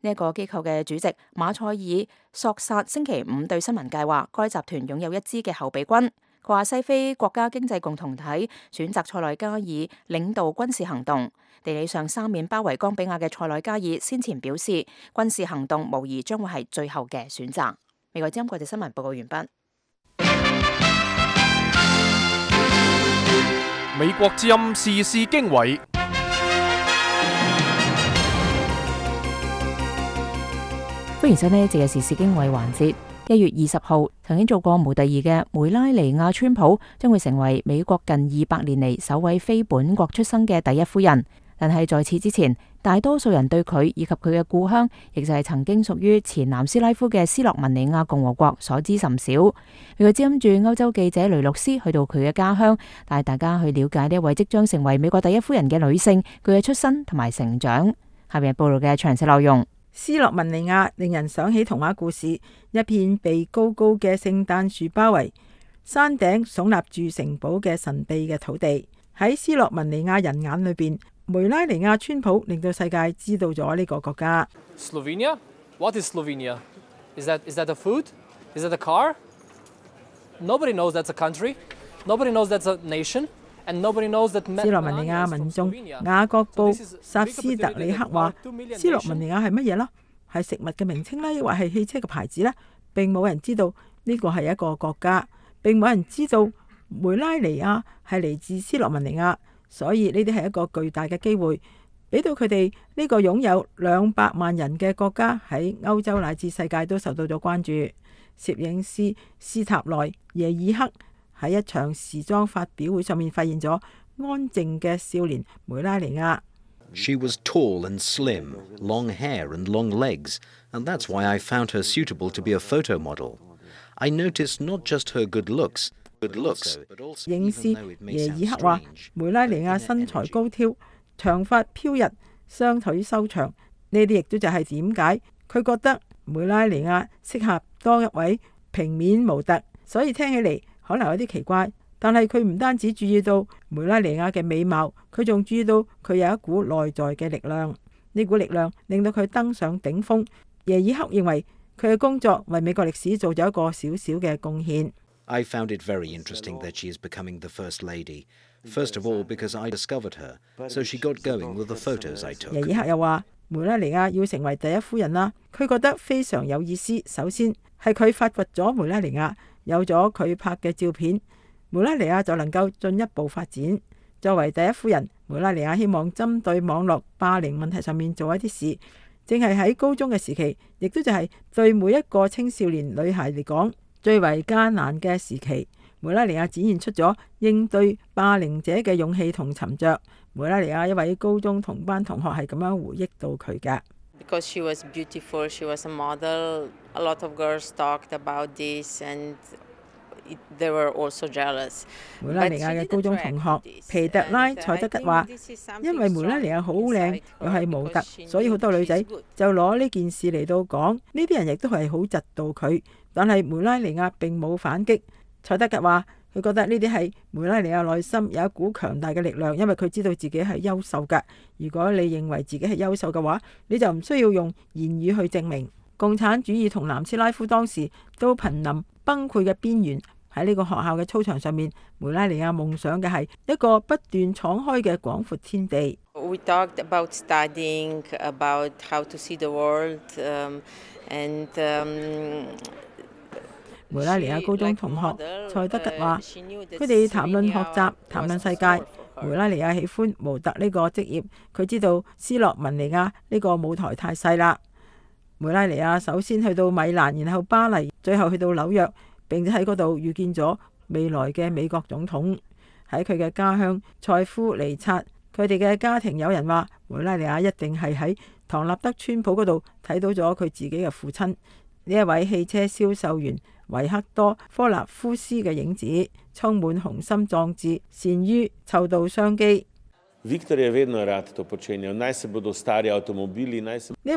呢一個機構嘅主席馬塞爾索薩星期五對新聞界話，該集團擁有一支嘅後備軍。佢話西非國家經濟共同體選擇塞內加爾領導軍事行動。地理上三面包圍岡比亞嘅塞內加爾先前表示，軍事行動無疑將會係最後嘅選擇。美國之音國際新聞報告完畢。美國之音時事經緯。歡迎收聽呢一節嘅時事經緯環節。1月20號，曾經做過模特兒嘅梅拉尼亞川普將會成為美國近200年嚟首位非本國出生嘅第一夫人。但係在此之前，大多數人對佢以及佢嘅故鄉，亦就係曾經屬於前南斯拉夫嘅斯洛文尼亞共和國所知甚少。美國之音駐歐洲記者雷洛斯去到佢嘅家鄉，帶大家去了解呢一位即將成為美國第一夫人嘅女性，佢嘅出身同埋成長。下面報道嘅詳細內容。斯洛文尼亞令人想起童話故事，一片被高高嘅聖誕樹包圍，山頂聳立住城堡嘅神秘嘅土地。喺斯洛文尼亞人眼裏邊，梅拉尼亞川普令到世界知道咗呢個國家。Slovenia? What is Slovenia? Is that a food? Is that a car? Nobody knows that's a country. Nobody knows that's a nation. And nobody knows that 斯洛文尼亞民眾雅各布薩斯特里克話：斯洛文尼亞係乜嘢呢？係食物嘅名稱呢，抑或係汽車嘅牌子呢？並冇人知道呢個係一個國家，並冇人知道梅拉尼亞係嚟自斯洛文尼亞。所以呢啲係一個巨大嘅機會，俾到佢哋呢個擁有200萬人嘅國家喺歐洲乃至世界都受到咗關注。攝影師斯塔內耶爾克喺一場時裝發表會上面發現咗安靜嘅少年梅拉尼亞。She was tall and slim, long hair and long legs, and that's why I found her suitable to be a photo model. I noticed not just her good looks, 影師耶爾克話：梅拉尼亞身材高挑，長髮飄逸，雙腿修長。呢啲亦都就係點解佢覺得梅拉尼亞適合當一位平面模特。所以聽起嚟可能有啲奇怪，但係佢唔單止注意到梅拉尼亞嘅美貌，佢仲注意到佢有一股內在嘅力量。呢股力量令到佢登上頂峰。耶爾克認為佢嘅工作為美國歷史做咗一個小小嘅貢獻。I found it very interesting that she is becoming the First Lady. First of all, because I discovered her, so she got going with the photos I took. 耶爾克又話：梅拉尼亞要成為第一夫人啦，佢覺得非常有意思。首先係佢發掘咗梅拉尼亞，有咗佢拍嘅照片，梅拉尼亞就能夠進一步發展。作為第一夫人，梅拉尼亞希望針對網絡霸凌問題上面做一啲事，正係喺高中嘅時期，亦都就係對每一個青少年女孩嚟講最為艱難嘅時期。梅拉尼亞展現出咗應對霸凌者嘅勇氣同沉着。梅拉尼亞一位高中同班同學係咁樣回憶到佢嘅。Because she was beautiful, she was a model. A lot of girls talked about this, and they were also jealous. 梅拉尼亞嘅高中同學皮特拉塞德吉話：因為梅拉尼亞好靚，又係模特，所以好多女仔就攞呢件事嚟到講。呢啲人亦都係好嫉妒佢，但係梅拉尼亞並冇反擊。塞德吉話：佢覺得呢啲係梅拉尼亞內心有一股強大嘅力量，因為佢知道自己係優秀㗎。如果你認為自己係優秀嘅話，你就唔需要用言語去證明。共產主義同南斯拉夫當時都瀕臨崩潰嘅邊緣。喺呢個學校嘅操場上面，梅拉尼亞夢想嘅係一個不斷敞開嘅廣闊天地。We talked about studying, about how to see the world, and 梅拉尼亞高中同學塞德吉話：佢哋談論學習，談論世界。梅拉尼亞喜歡模特呢個職業，佢知道斯洛文尼亞呢個舞台太細啦。梅拉尼亞首先去到米蘭，然後巴黎，最後去到紐約，並且喺嗰度遇見咗未來嘅美國總統。喺佢嘅家鄉塞夫尼察，佢哋嘅家庭有人話梅拉尼亞一定係喺唐納德川普嗰度睇到咗佢自己嘅父親，呢一位汽車銷售員維克多科納夫斯嘅影子，充滿雄心壯志，善於湊到商機。呢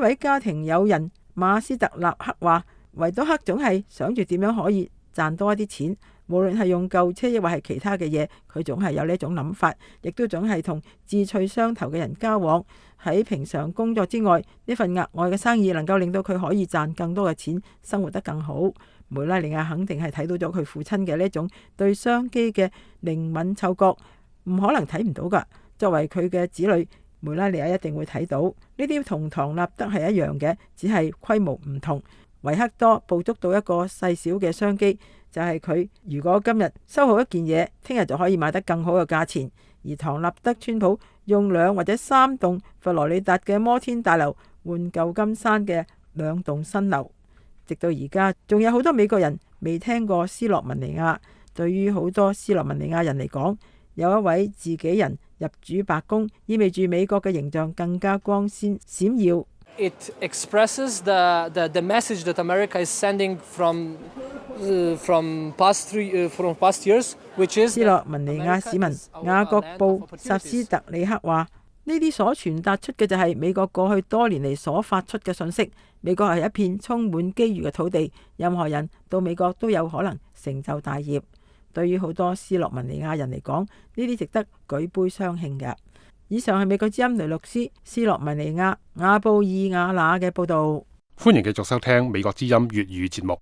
位家庭友人馬斯特納克話，維多克總係想住點樣可以賺多一啲錢，無論係用舊車亦或係其他嘅嘢，佢總係有呢一種諗法，亦都總係同志趣相投嘅人交往。喺平常工作之外，呢份額外嘅生意能夠令到佢可以賺更多嘅錢，生活得更好。梅拉尼亞肯定係睇到咗佢父親嘅呢種對商機嘅靈敏嗅覺，唔可能睇唔到㗎。作為佢嘅子女，梅拉尼亞一定會睇到呢啲同唐納德係一樣嘅，只係規模唔同。維克多捕捉到一個細小嘅商機，就係佢如果今日收好一件嘢，聽日就可以買得更好嘅價錢。而唐納德川普用2或者3棟佛羅里達嘅摩天大樓換舊金山嘅2棟新樓。直到而家，仲有好多美國人未聽過斯洛文尼亞。對於好多斯洛文尼亞人嚟講，有一位自己人入主白宮，意味住美國嘅形象更加光鮮閃耀。It expresses the message that America is sending from past years, which is 斯洛文尼亞市民雅各布薩斯特里克話：呢啲所傳達出嘅就係美國過去多年嚟所發出嘅信息。美國係一片充滿機遇嘅土地，任何人到美國都有可能成就大業。對於好多斯洛文尼亞人嚟講，呢啲值得舉杯相慶嘅。以上係美國之音雷洛斯斯洛文尼亞亞布爾雅那嘅報導。歡迎繼續收聽美國之音粵語節目。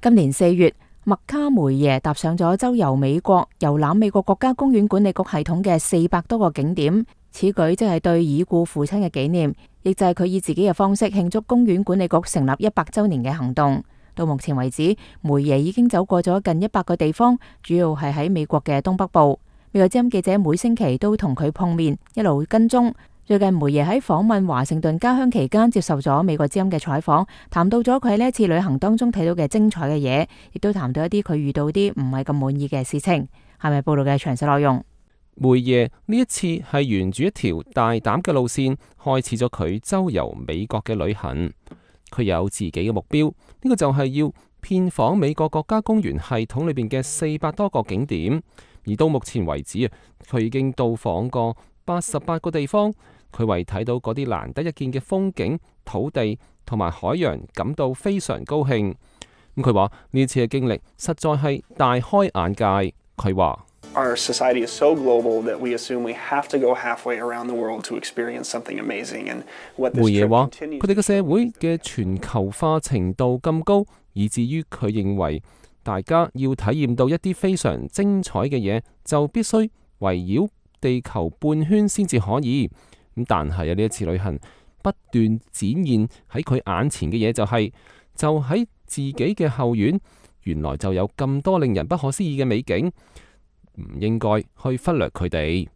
今年4月，麥卡梅耶踏上咗周遊美國、遊覽美國國家公園管理局系統嘅400多個景點。此舉即係對已故父親嘅紀念，亦就係佢以自己嘅方式慶祝公園管理局成立100週年嘅行動。到目前為止，梅耶已經走過咗近100個地方，主要係喺美國嘅東北部。美國之音記者每星期都同佢碰面，一路跟蹤。最近梅耶喺訪問華盛頓家鄉期間，接受咗美國之音嘅採訪，談到咗佢喺呢一次旅行當中睇到嘅精彩嘅嘢，亦都談到一啲佢遇到啲唔係咁滿意嘅事情。係咪報道嘅詳細內容？梅耶呢一次係沿住一條大膽嘅路線，開始咗佢周遊美國嘅旅行。佢有自己嘅目標，呢個就係要遍訪美國國家公園系統裏邊嘅400多個景點。而到目前為止啊，佢已經到訪過88個地方。佢為睇到嗰啲難得一見嘅風景、土地同埋海洋感到非常高興。咁佢話呢次嘅經歷實在係大開眼界。佢話Our society is so global that we assume we have to go halfway around the world to experience something amazing. And what this 梅耶 trip 話 continues 佢哋嘅社會嘅全球化程度咁高，以至於佢認為大家要體驗到一啲非常精彩嘅嘢，就必須圍繞地球半圈先至可以。咁但係呢一次旅行不斷展現喺佢眼前嘅嘢就喺自己嘅後院，原來就有咁多令人不可思議嘅美景。唔應該去忽略佢哋。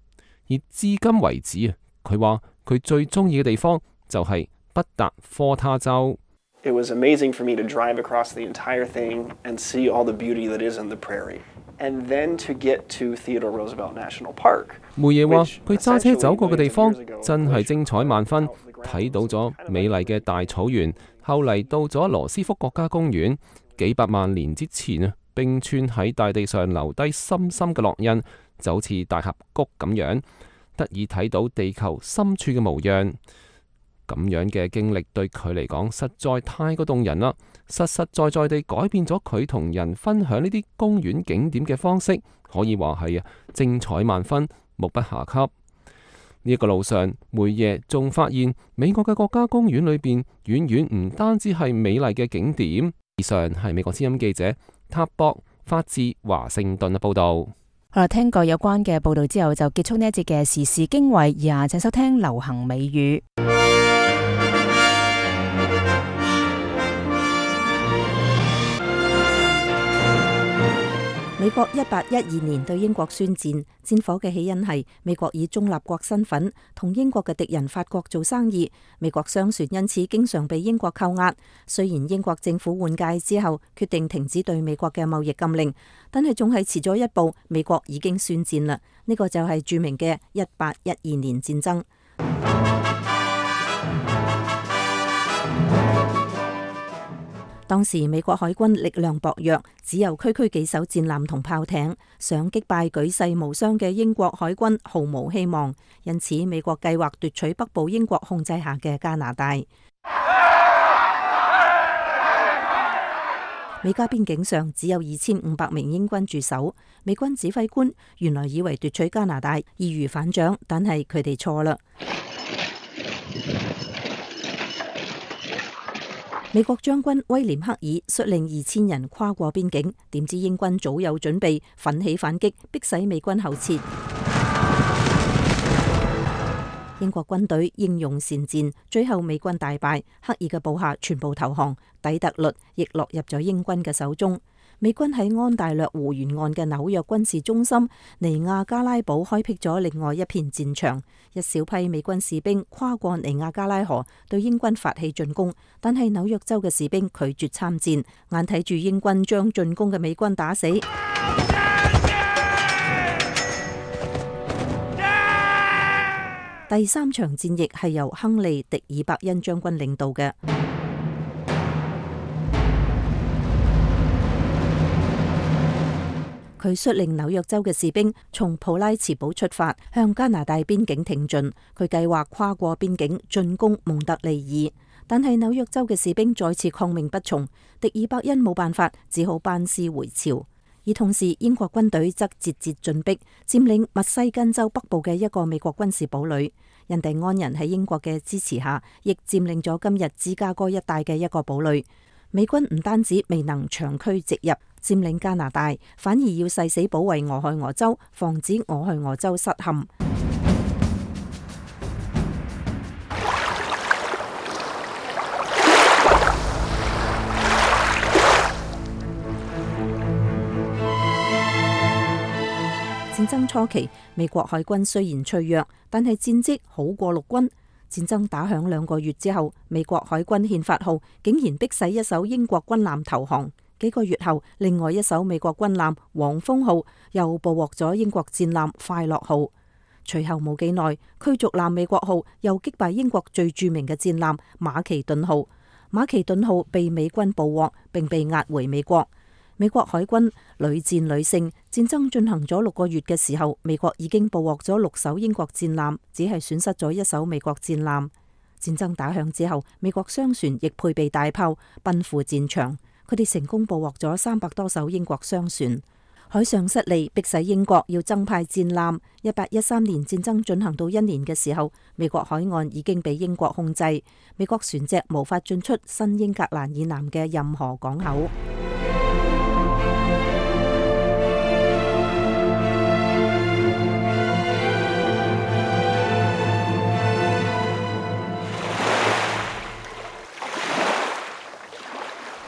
而至今為止啊，佢話佢最中意嘅地方就係北達科他州。It was amazing for me to drive across the entire thing and see all the beauty that is in the prairie, and then to get to Theodore Roosevelt National Park。梅耶話佢揸車走過嘅地方真係精彩萬分，睇到咗美麗嘅大草原，後嚟到咗羅斯福國家公園，幾百萬年之前啊，冰川喺大地上留低深深嘅烙印，就好似大峽谷咁樣，得以睇到地球深處嘅模樣。咁樣嘅經歷對佢嚟講實在太過動人啦，實實在在地改變咗佢同人分享呢啲公園景點嘅方式，可以話係精彩萬分，目不暇給。呢一個路上，梅耶仲發現美國嘅國家公園裏邊遠遠唔單止係美麗嘅景點。以上係美國之音記者塔博發自華盛頓嘅報道。好啦，聽過有關嘅報道之後，就結束呢一節嘅時事經緯。以下請收聽流行美語。美國1812年對英國宣戰，戰火嘅起因係美國以中立國身份同英國嘅敵人法國做生意，美國商船因此經常被英國扣押。雖然英國政府換屆之後決定停止對美國嘅貿易禁令，但係仲係遲咗一步，美國已經宣戰啦。呢個就係著名嘅1812年戰爭。當時美國海軍力量薄弱，只有區區幾艘戰艦同炮艇，想擊敗舉世無雙嘅英國海軍毫無希望。因此，美國計劃奪取北部英國控制下嘅加拿大。美加邊境上只有2500名英軍駐守，美軍指揮官原來以為奪取加拿大易如反掌，但係佢哋錯啦。美國將軍威廉克爾率領2000人跨過邊境，點知英軍早有準備，奮起反擊，迫使美軍後撤。英國軍隊英勇善戰，最後美軍大敗，克爾嘅部下全部投降，底特律亦落入咗英軍嘅手中。美軍喺安大略湖沿岸嘅紐約軍事中心尼亞加拉堡開闢咗另外一片戰場，一小批美軍士兵跨過尼亞加拉河對英軍發起進攻，但係紐約州嘅士兵拒絕參戰，眼睇住英軍將進攻嘅美軍打死。第3場戰役係由亨利·迪爾伯恩將軍領導嘅。佢率領紐約州嘅士兵從普拉茨堡出發，向加拿大邊境挺進。佢計劃跨過邊境進攻蒙特利爾，但係紐約州嘅士兵再次抗命不從，迪爾伯恩冇辦法，只好班師回朝。而同時，英國軍隊則節節進逼，佔領密西根州北部嘅一個美國軍事堡壘。印第安人喺英國嘅支持下，亦佔領咗今日芝加哥一帶嘅一個堡壘。美軍唔單止未能長驅直入佔領加拿大，反而要誓死保衛俄亥俄州，防止俄亥俄州失陷。戰爭初期，美國海軍雖然脆弱，但係戰績好過陸軍。戰爭打響2個月之後，美國海軍憲法號竟然迫使一艘英國軍艦投降。幾個月後，另外一艘美國軍艦黃蜂號又捕獲咗英國戰艦快樂號。隨後冇幾耐，驅逐艦美國號又擊敗英國最著名嘅戰艦馬其頓號。馬其頓號被美軍捕獲，並被押回美國。美國海軍屢戰屢勝，戰爭進行咗6個月嘅時候，美國已經捕獲咗6艘英國戰艦，只係損失咗1艘美國戰艦。戰爭打響之後，美國商船亦配備大炮，奔赴戰場。佢哋成功捕獲咗300多艘英國商船。海上失利，迫使英國要增派戰艦。1813年戰爭進行到1年嘅時候，美國海岸已經被英國控制，美國船隻無法進出新英格蘭以南嘅任何港口。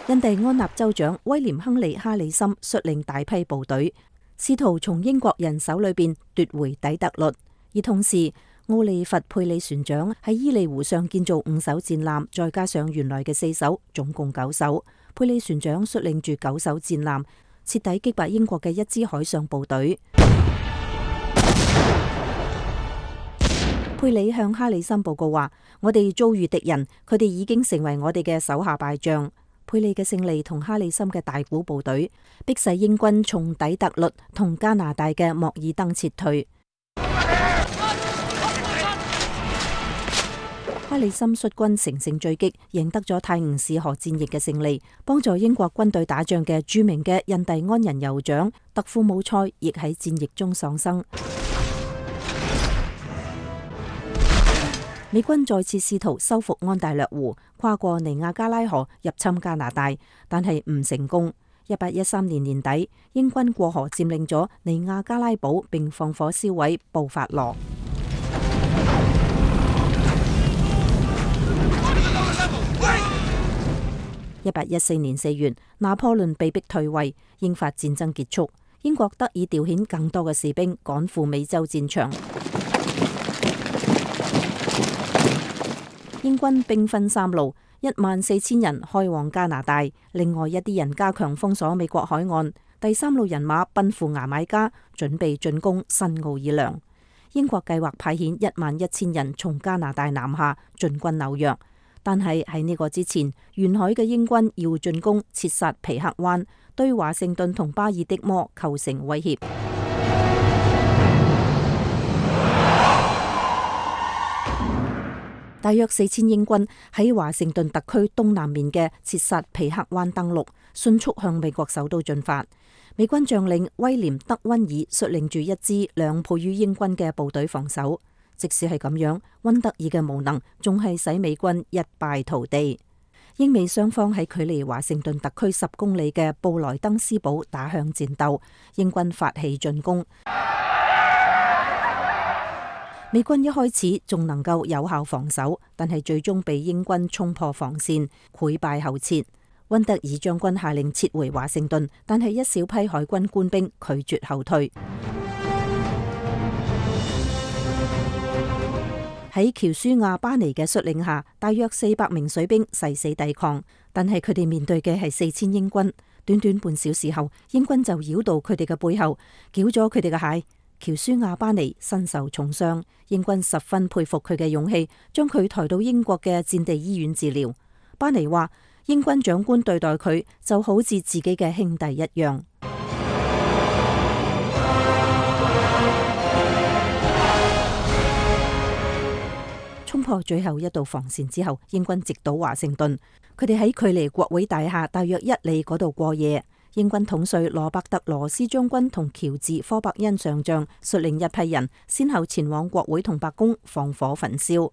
印第安納州長威廉·亨利·哈里森率領大批部隊，試圖從英國人手裏邊奪回底特律。而同時，奧利弗·佩里船長喺伊利湖上建造5艘戰艦，再加上原來嘅4艘，總共9艘。佩里船長率領住9艘戰艦，徹底擊敗英國嘅一支海上部隊。佩里向哈里森報告話：我哋遭遇敵人，佢哋已經成為我哋嘅手下敗將。佩里嘅勝利同哈里森嘅大股部隊，迫使英軍從底特律同加拿大嘅莫爾登撤退。哈里森率軍乘勝追擊，贏得咗泰晤士河戰役嘅勝利，幫助英國軍隊打仗嘅著名嘅印第安人酋長特庫姆塞亦喺戰役中喪生。美軍再次試圖收復安大略湖，跨過尼亞加拉河入侵加拿大，但係唔成功。1813年年底，英軍過河佔領咗尼亞加拉堡，並放火燒毀布法羅。1814年4月，拿破崙被迫退位，英法戰爭結束，英國得以調遣更多嘅士兵趕赴美洲戰場。英軍兵分3路，14000人開往加拿大，另外一啲人加強封鎖美國海岸。第3路人馬奔赴牙買加，準備進攻新奧爾良。英國計劃派遣11000人從加拿大南下進軍紐約，但係喺呢個之前，沿海嘅英軍要進攻切薩皮克灣，對華盛頓同巴爾的摩構成威脅。大約4000英軍喺華盛頓特區東南面嘅切薩皮克灣登陸，迅速向美國首都進發。美軍將領威廉德溫爾率領住一支2倍於英軍嘅部隊防守。即使係咁樣，溫德爾嘅無能仲係使美軍一敗塗地。英美雙方喺距離華盛頓特區10公里嘅布萊登斯堡打響戰鬥，英軍發起進攻。美軍一開始仲能夠有效防守，但係最終被英軍衝破防線，潰敗後撤。溫德爾將軍下令撤回華盛頓，但係一小批海軍官兵拒絕後退。喺喬舒亞巴尼嘅率領下，大約400名水兵誓死抵抗，但係佢哋面對嘅係4000英軍。短短半小時後，英軍就繞到佢哋嘅背後，繳咗佢哋嘅械。喬舒亞巴尼身受重傷，英軍十分佩服佢嘅勇氣，將佢抬到英國嘅戰地醫院治療。巴尼話，英軍長官對待佢就好似自己嘅兄弟一樣。衝破最後一道防線之後，英軍直搗華盛頓。佢哋喺距離國會大廈大約1里嗰度過夜。英軍統帥羅伯特羅斯將軍同喬治科伯恩上將率領一批人，先後前往國會同白宮放火焚燒。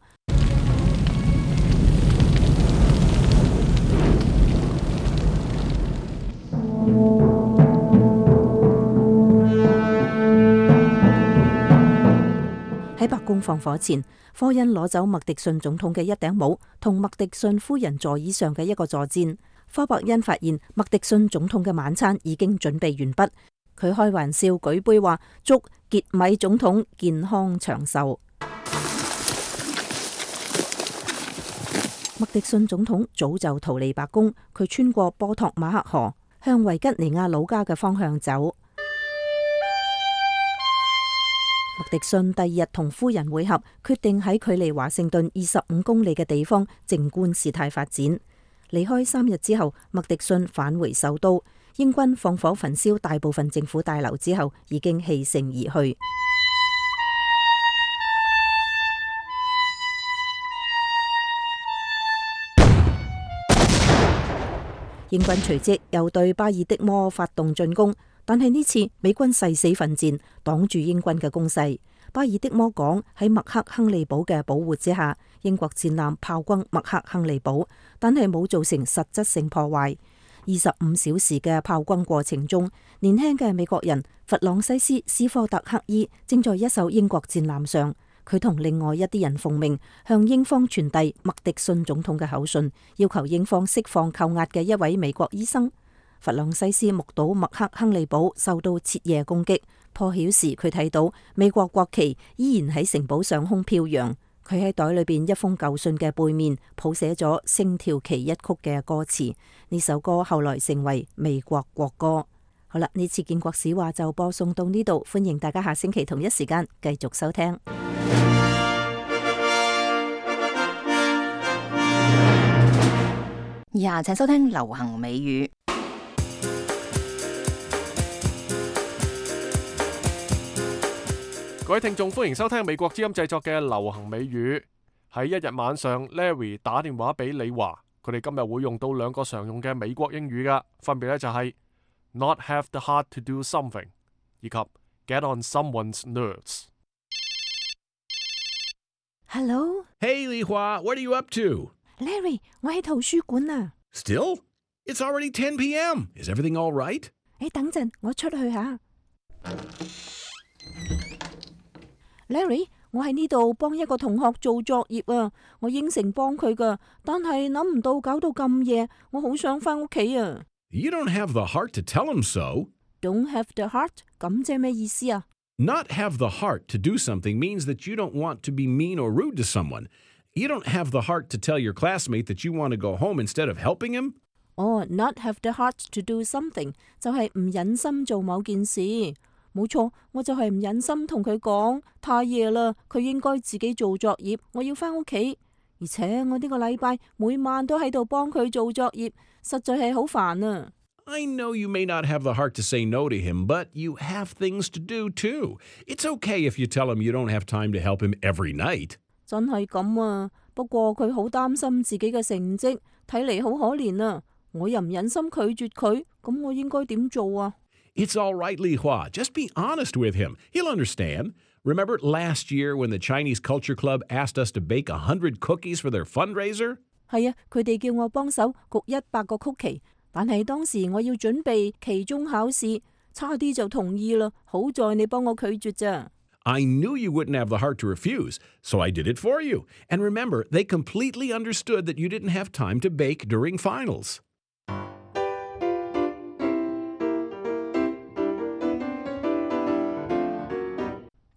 喺白宮放火前，科恩攞走麥迪遜總統嘅一頂帽同麥迪遜夫人座椅上嘅一個坐墊。科伯恩發現麥迪遜總統嘅晚餐已經準備完畢，佢開玩笑舉杯話：祝傑米總統健康長壽。麥迪遜總統早就逃離白宮，佢穿過波托馬克河，向維吉尼亞老家嘅方向走。麥迪遜第二日同夫人會合，決定喺距離華盛頓25公里嘅地方靜觀事態發展。離開3日之後，麥迪遜返回首都。英軍放火焚燒大部分政府大樓之後，已經棄城而去。英軍隨即又對巴爾的摩發動進攻，但係呢次美軍誓死奮戰，擋住英軍嘅攻勢。巴爾的摩港喺麥克亨利堡嘅保護之下，英國戰艦炮轟麥克亨利堡，但係冇造成實質性破壞。25小時嘅炮轟過程中，年輕嘅美國人弗朗西斯·斯科特克伊正在一艘英國戰艦上，佢同另外一啲人奉命向英方傳遞麥迪遜總統嘅口信，要求英方釋放扣押嘅一位美國醫生。弗朗西斯目睹麥克亨利堡受到徹夜攻擊，破曉時佢睇到美國國旗依然喺城堡上空飄揚。佢喺袋裏邊一封舊信嘅背面譜寫咗《星條旗一曲》嘅歌詞，呢首歌後來成為美國國歌。好啦，呢次建國史話就播送到呢度，歡迎大家下星期同一時間繼續收聽。以下請收聽流行美語。各位聽眾，歡迎收聽美國之音製作嘅流行美語。喺一日晚上 ，Larry 打電話俾李華，佢哋今日會用到2個常用嘅美國英語噶，分別咧就係 not have the heart to do something 以及 get on someone's nerves。Hello， Hey 李華 ，What are you up to？ Larry， 我喺圖書館啊。Still? It's already 10 p.m. Is everything all right？ 你等陣，我出去下。Larry， 我喺呢度幫一個同學做作業啊，我應承幫佢噶，但係諗唔到搞到咁夜，我好想翻屋企啊。You don't have the heart to tell him so. Don't have the heart？ 咁即係咩意思啊？ Not have the heart to do something means that you don't want to be mean or rude to someone. You don't have the heart to tell your classmate that you want to go home instead of helping him? Not have the heart to do something 就係唔忍心做某件事。冇錯，我就係唔忍心同佢講，太夜啦，佢應該自己做作業，我要返屋企。而且我呢個禮拜每晚都喺度幫佢做作業，實在係好煩啊。I know you may not have the heart to say no to him, but you have things to do too. It's okay if you tell him you don't have time to help him every night. 真係咁啊，不過佢好擔心自己嘅成績，睇嚟好可憐啊。我又唔忍心拒絕佢，咁我應該點做啊？ It's all right, Li Hua. Just be honest with him. He'll understand. Remember last year when the Chinese Culture Club asked us to bake 100 cookies for their fundraiser? 係啊，佢哋叫我幫手焗100個曲奇，但係當時我要準備期中考試，差啲就同意啦。好在你幫我拒絕咋。I knew you wouldn't have the heart to refuse, so I did it for you. And remember, they completely understood that you didn't have time to bake during finals.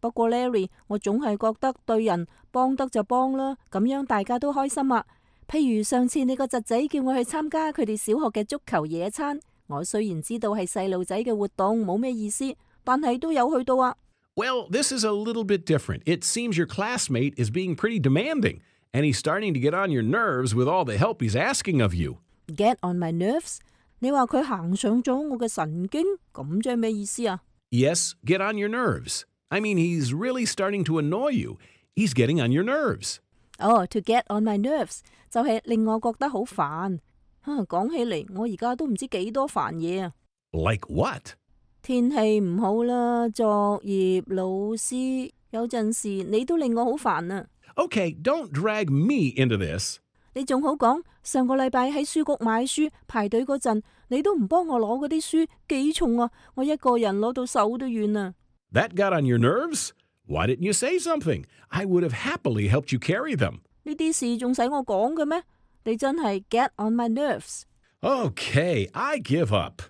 不過 Larry， 我總係覺得對人幫得就幫啦，咁樣大家都開心啊。譬如上次你個侄仔叫我去參加佢哋小學嘅足球野餐，我雖然知道係細路仔嘅活動，冇咩意思，但係都有去到啊。Well, this is a little bit different. It seems your classmate is being pretty demanding, and he's starting to get on your nerves with all the help he's asking of you. Get on my nerves？ 你話佢行上咗我嘅神經，咁即係咩意思啊？ Yes, get on your nerves. I mean, he's really starting to annoy you. He's getting on your nerves. To get on my nerves 就係令我覺得好煩。講起嚟，我而家都唔知幾多煩嘢啊。Like what？ 天氣唔好啦，作業、老師，有陣時你都令我好煩啊。Okay, don't drag me into this. 你仲好講，上個禮拜喺書局買書排隊嗰陣，你都唔幫我攞嗰啲書，幾重啊！我一個人攞到手都軟啊。That got on your nerves? Why didn't you say something? I would have happily helped you carry them. 呢啲事仲使我講嘅咩？你真係 get on my nerves. Okay, I give up.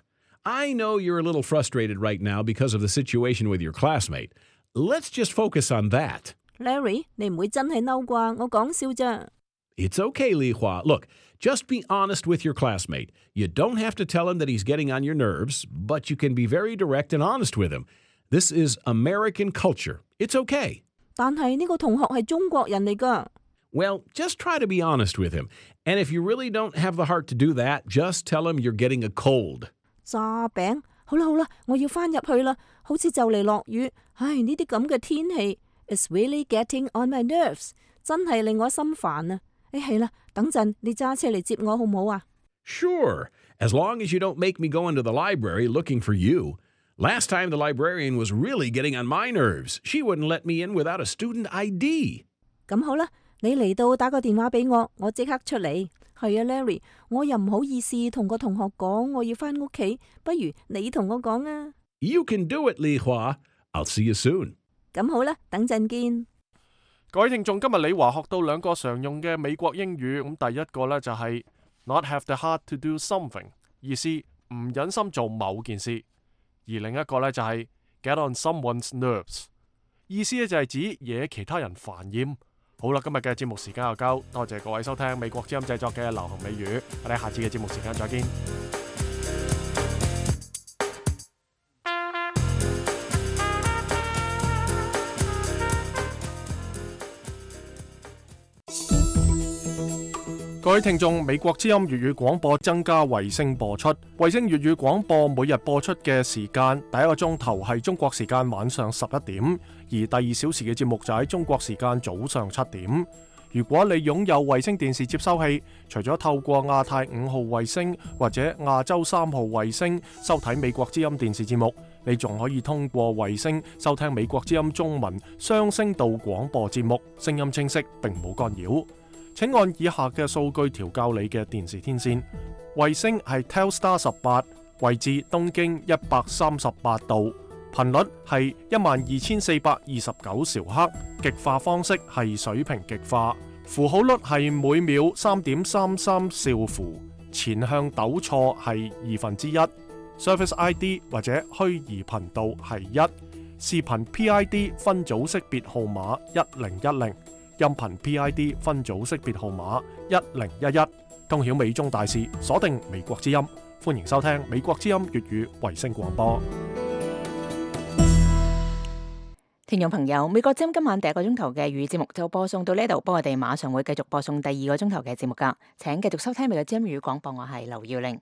I know you're a little frustrated right now because of the situation with your classmate. Let's just focus on that. Larry, 你唔會真係嬲啩？我講笑咋。It's okay, Li Hua. Look, just be honest with your classmate. You don't have to tell him that he's getting on your nerves, but you can be very direct and honest with him. This is American culture. It's okay. 但係呢個同學係中國人嚟㗎。Well, just try to be honest with him. And if you really don't have the heart to do that, just tell him you're getting a cold. 炸餅，好啦好啦，我要返入去啦，好似就嚟落雨。唉，呢啲咁嘅天氣 ，It's really getting on my nerves， 真係令我心煩啊！係啦，等陣你揸車嚟接我好唔好啊？ Sure, as long as you don't make me go into the library looking for you. Last time the librarian was really getting on my nerves. She wouldn't let me in without a student ID. 咁好啦，你嚟到打個電話俾我，我即刻出嚟。係啊 ，Larry， 我又唔好意思同個同學講我要返屋企，不如你同我講啊。You can do it, Li Hua. I'll see you soon. 咁好啦，等陣見。各位聽眾，今日李華學到兩個常用嘅美國英語，咁第一個呢，就係 not have the heart to do something， 意思唔忍心做某件事。而另一個呢，就係 get on someone's nerves， 意思呢就係指惹其他人煩厭。好啦，今日嘅節目時間又夠，多謝各位收聽美國之音製作嘅流行美語，我哋下次嘅節目時間再見。各位聽眾，美國之音粵語廣播增加衛星播出。衛星粵語廣播每日播出嘅時間，第一個鐘頭係中國時間晚上11點，而第2小時嘅節目就喺中國時間早上7點。如果你擁有衛星電視接收器，除咗透過亞太5號衛星或者亞洲3號衛星收睇美國之音電視節目，你仲可以通過衛星收聽美國之音中文雙聲道廣播節目，聲音清晰並冇干擾。請按以下嘅數據調校你嘅電視天線。衛星係 Telstar 18，位置東經138度，頻率係12429兆赫，極化方式係水平極化，符號率係每秒 3.33 兆符，前向抖錯係1/2，Service ID 或者虛擬頻道係1，視頻 PID 分組識別號碼1010。音頻 PID 分組識別號碼1011，通曉美中大事，鎖定美國之音。歡迎收聽美國之音粵語衛星廣播。聽眾朋友，美國之音今晚第一個鐘頭嘅粵語節目就播送到呢度，不過我哋馬上會繼續播送第二個鐘頭嘅節目噶，請繼續收聽美國之音粵語廣播，我係劉耀玲。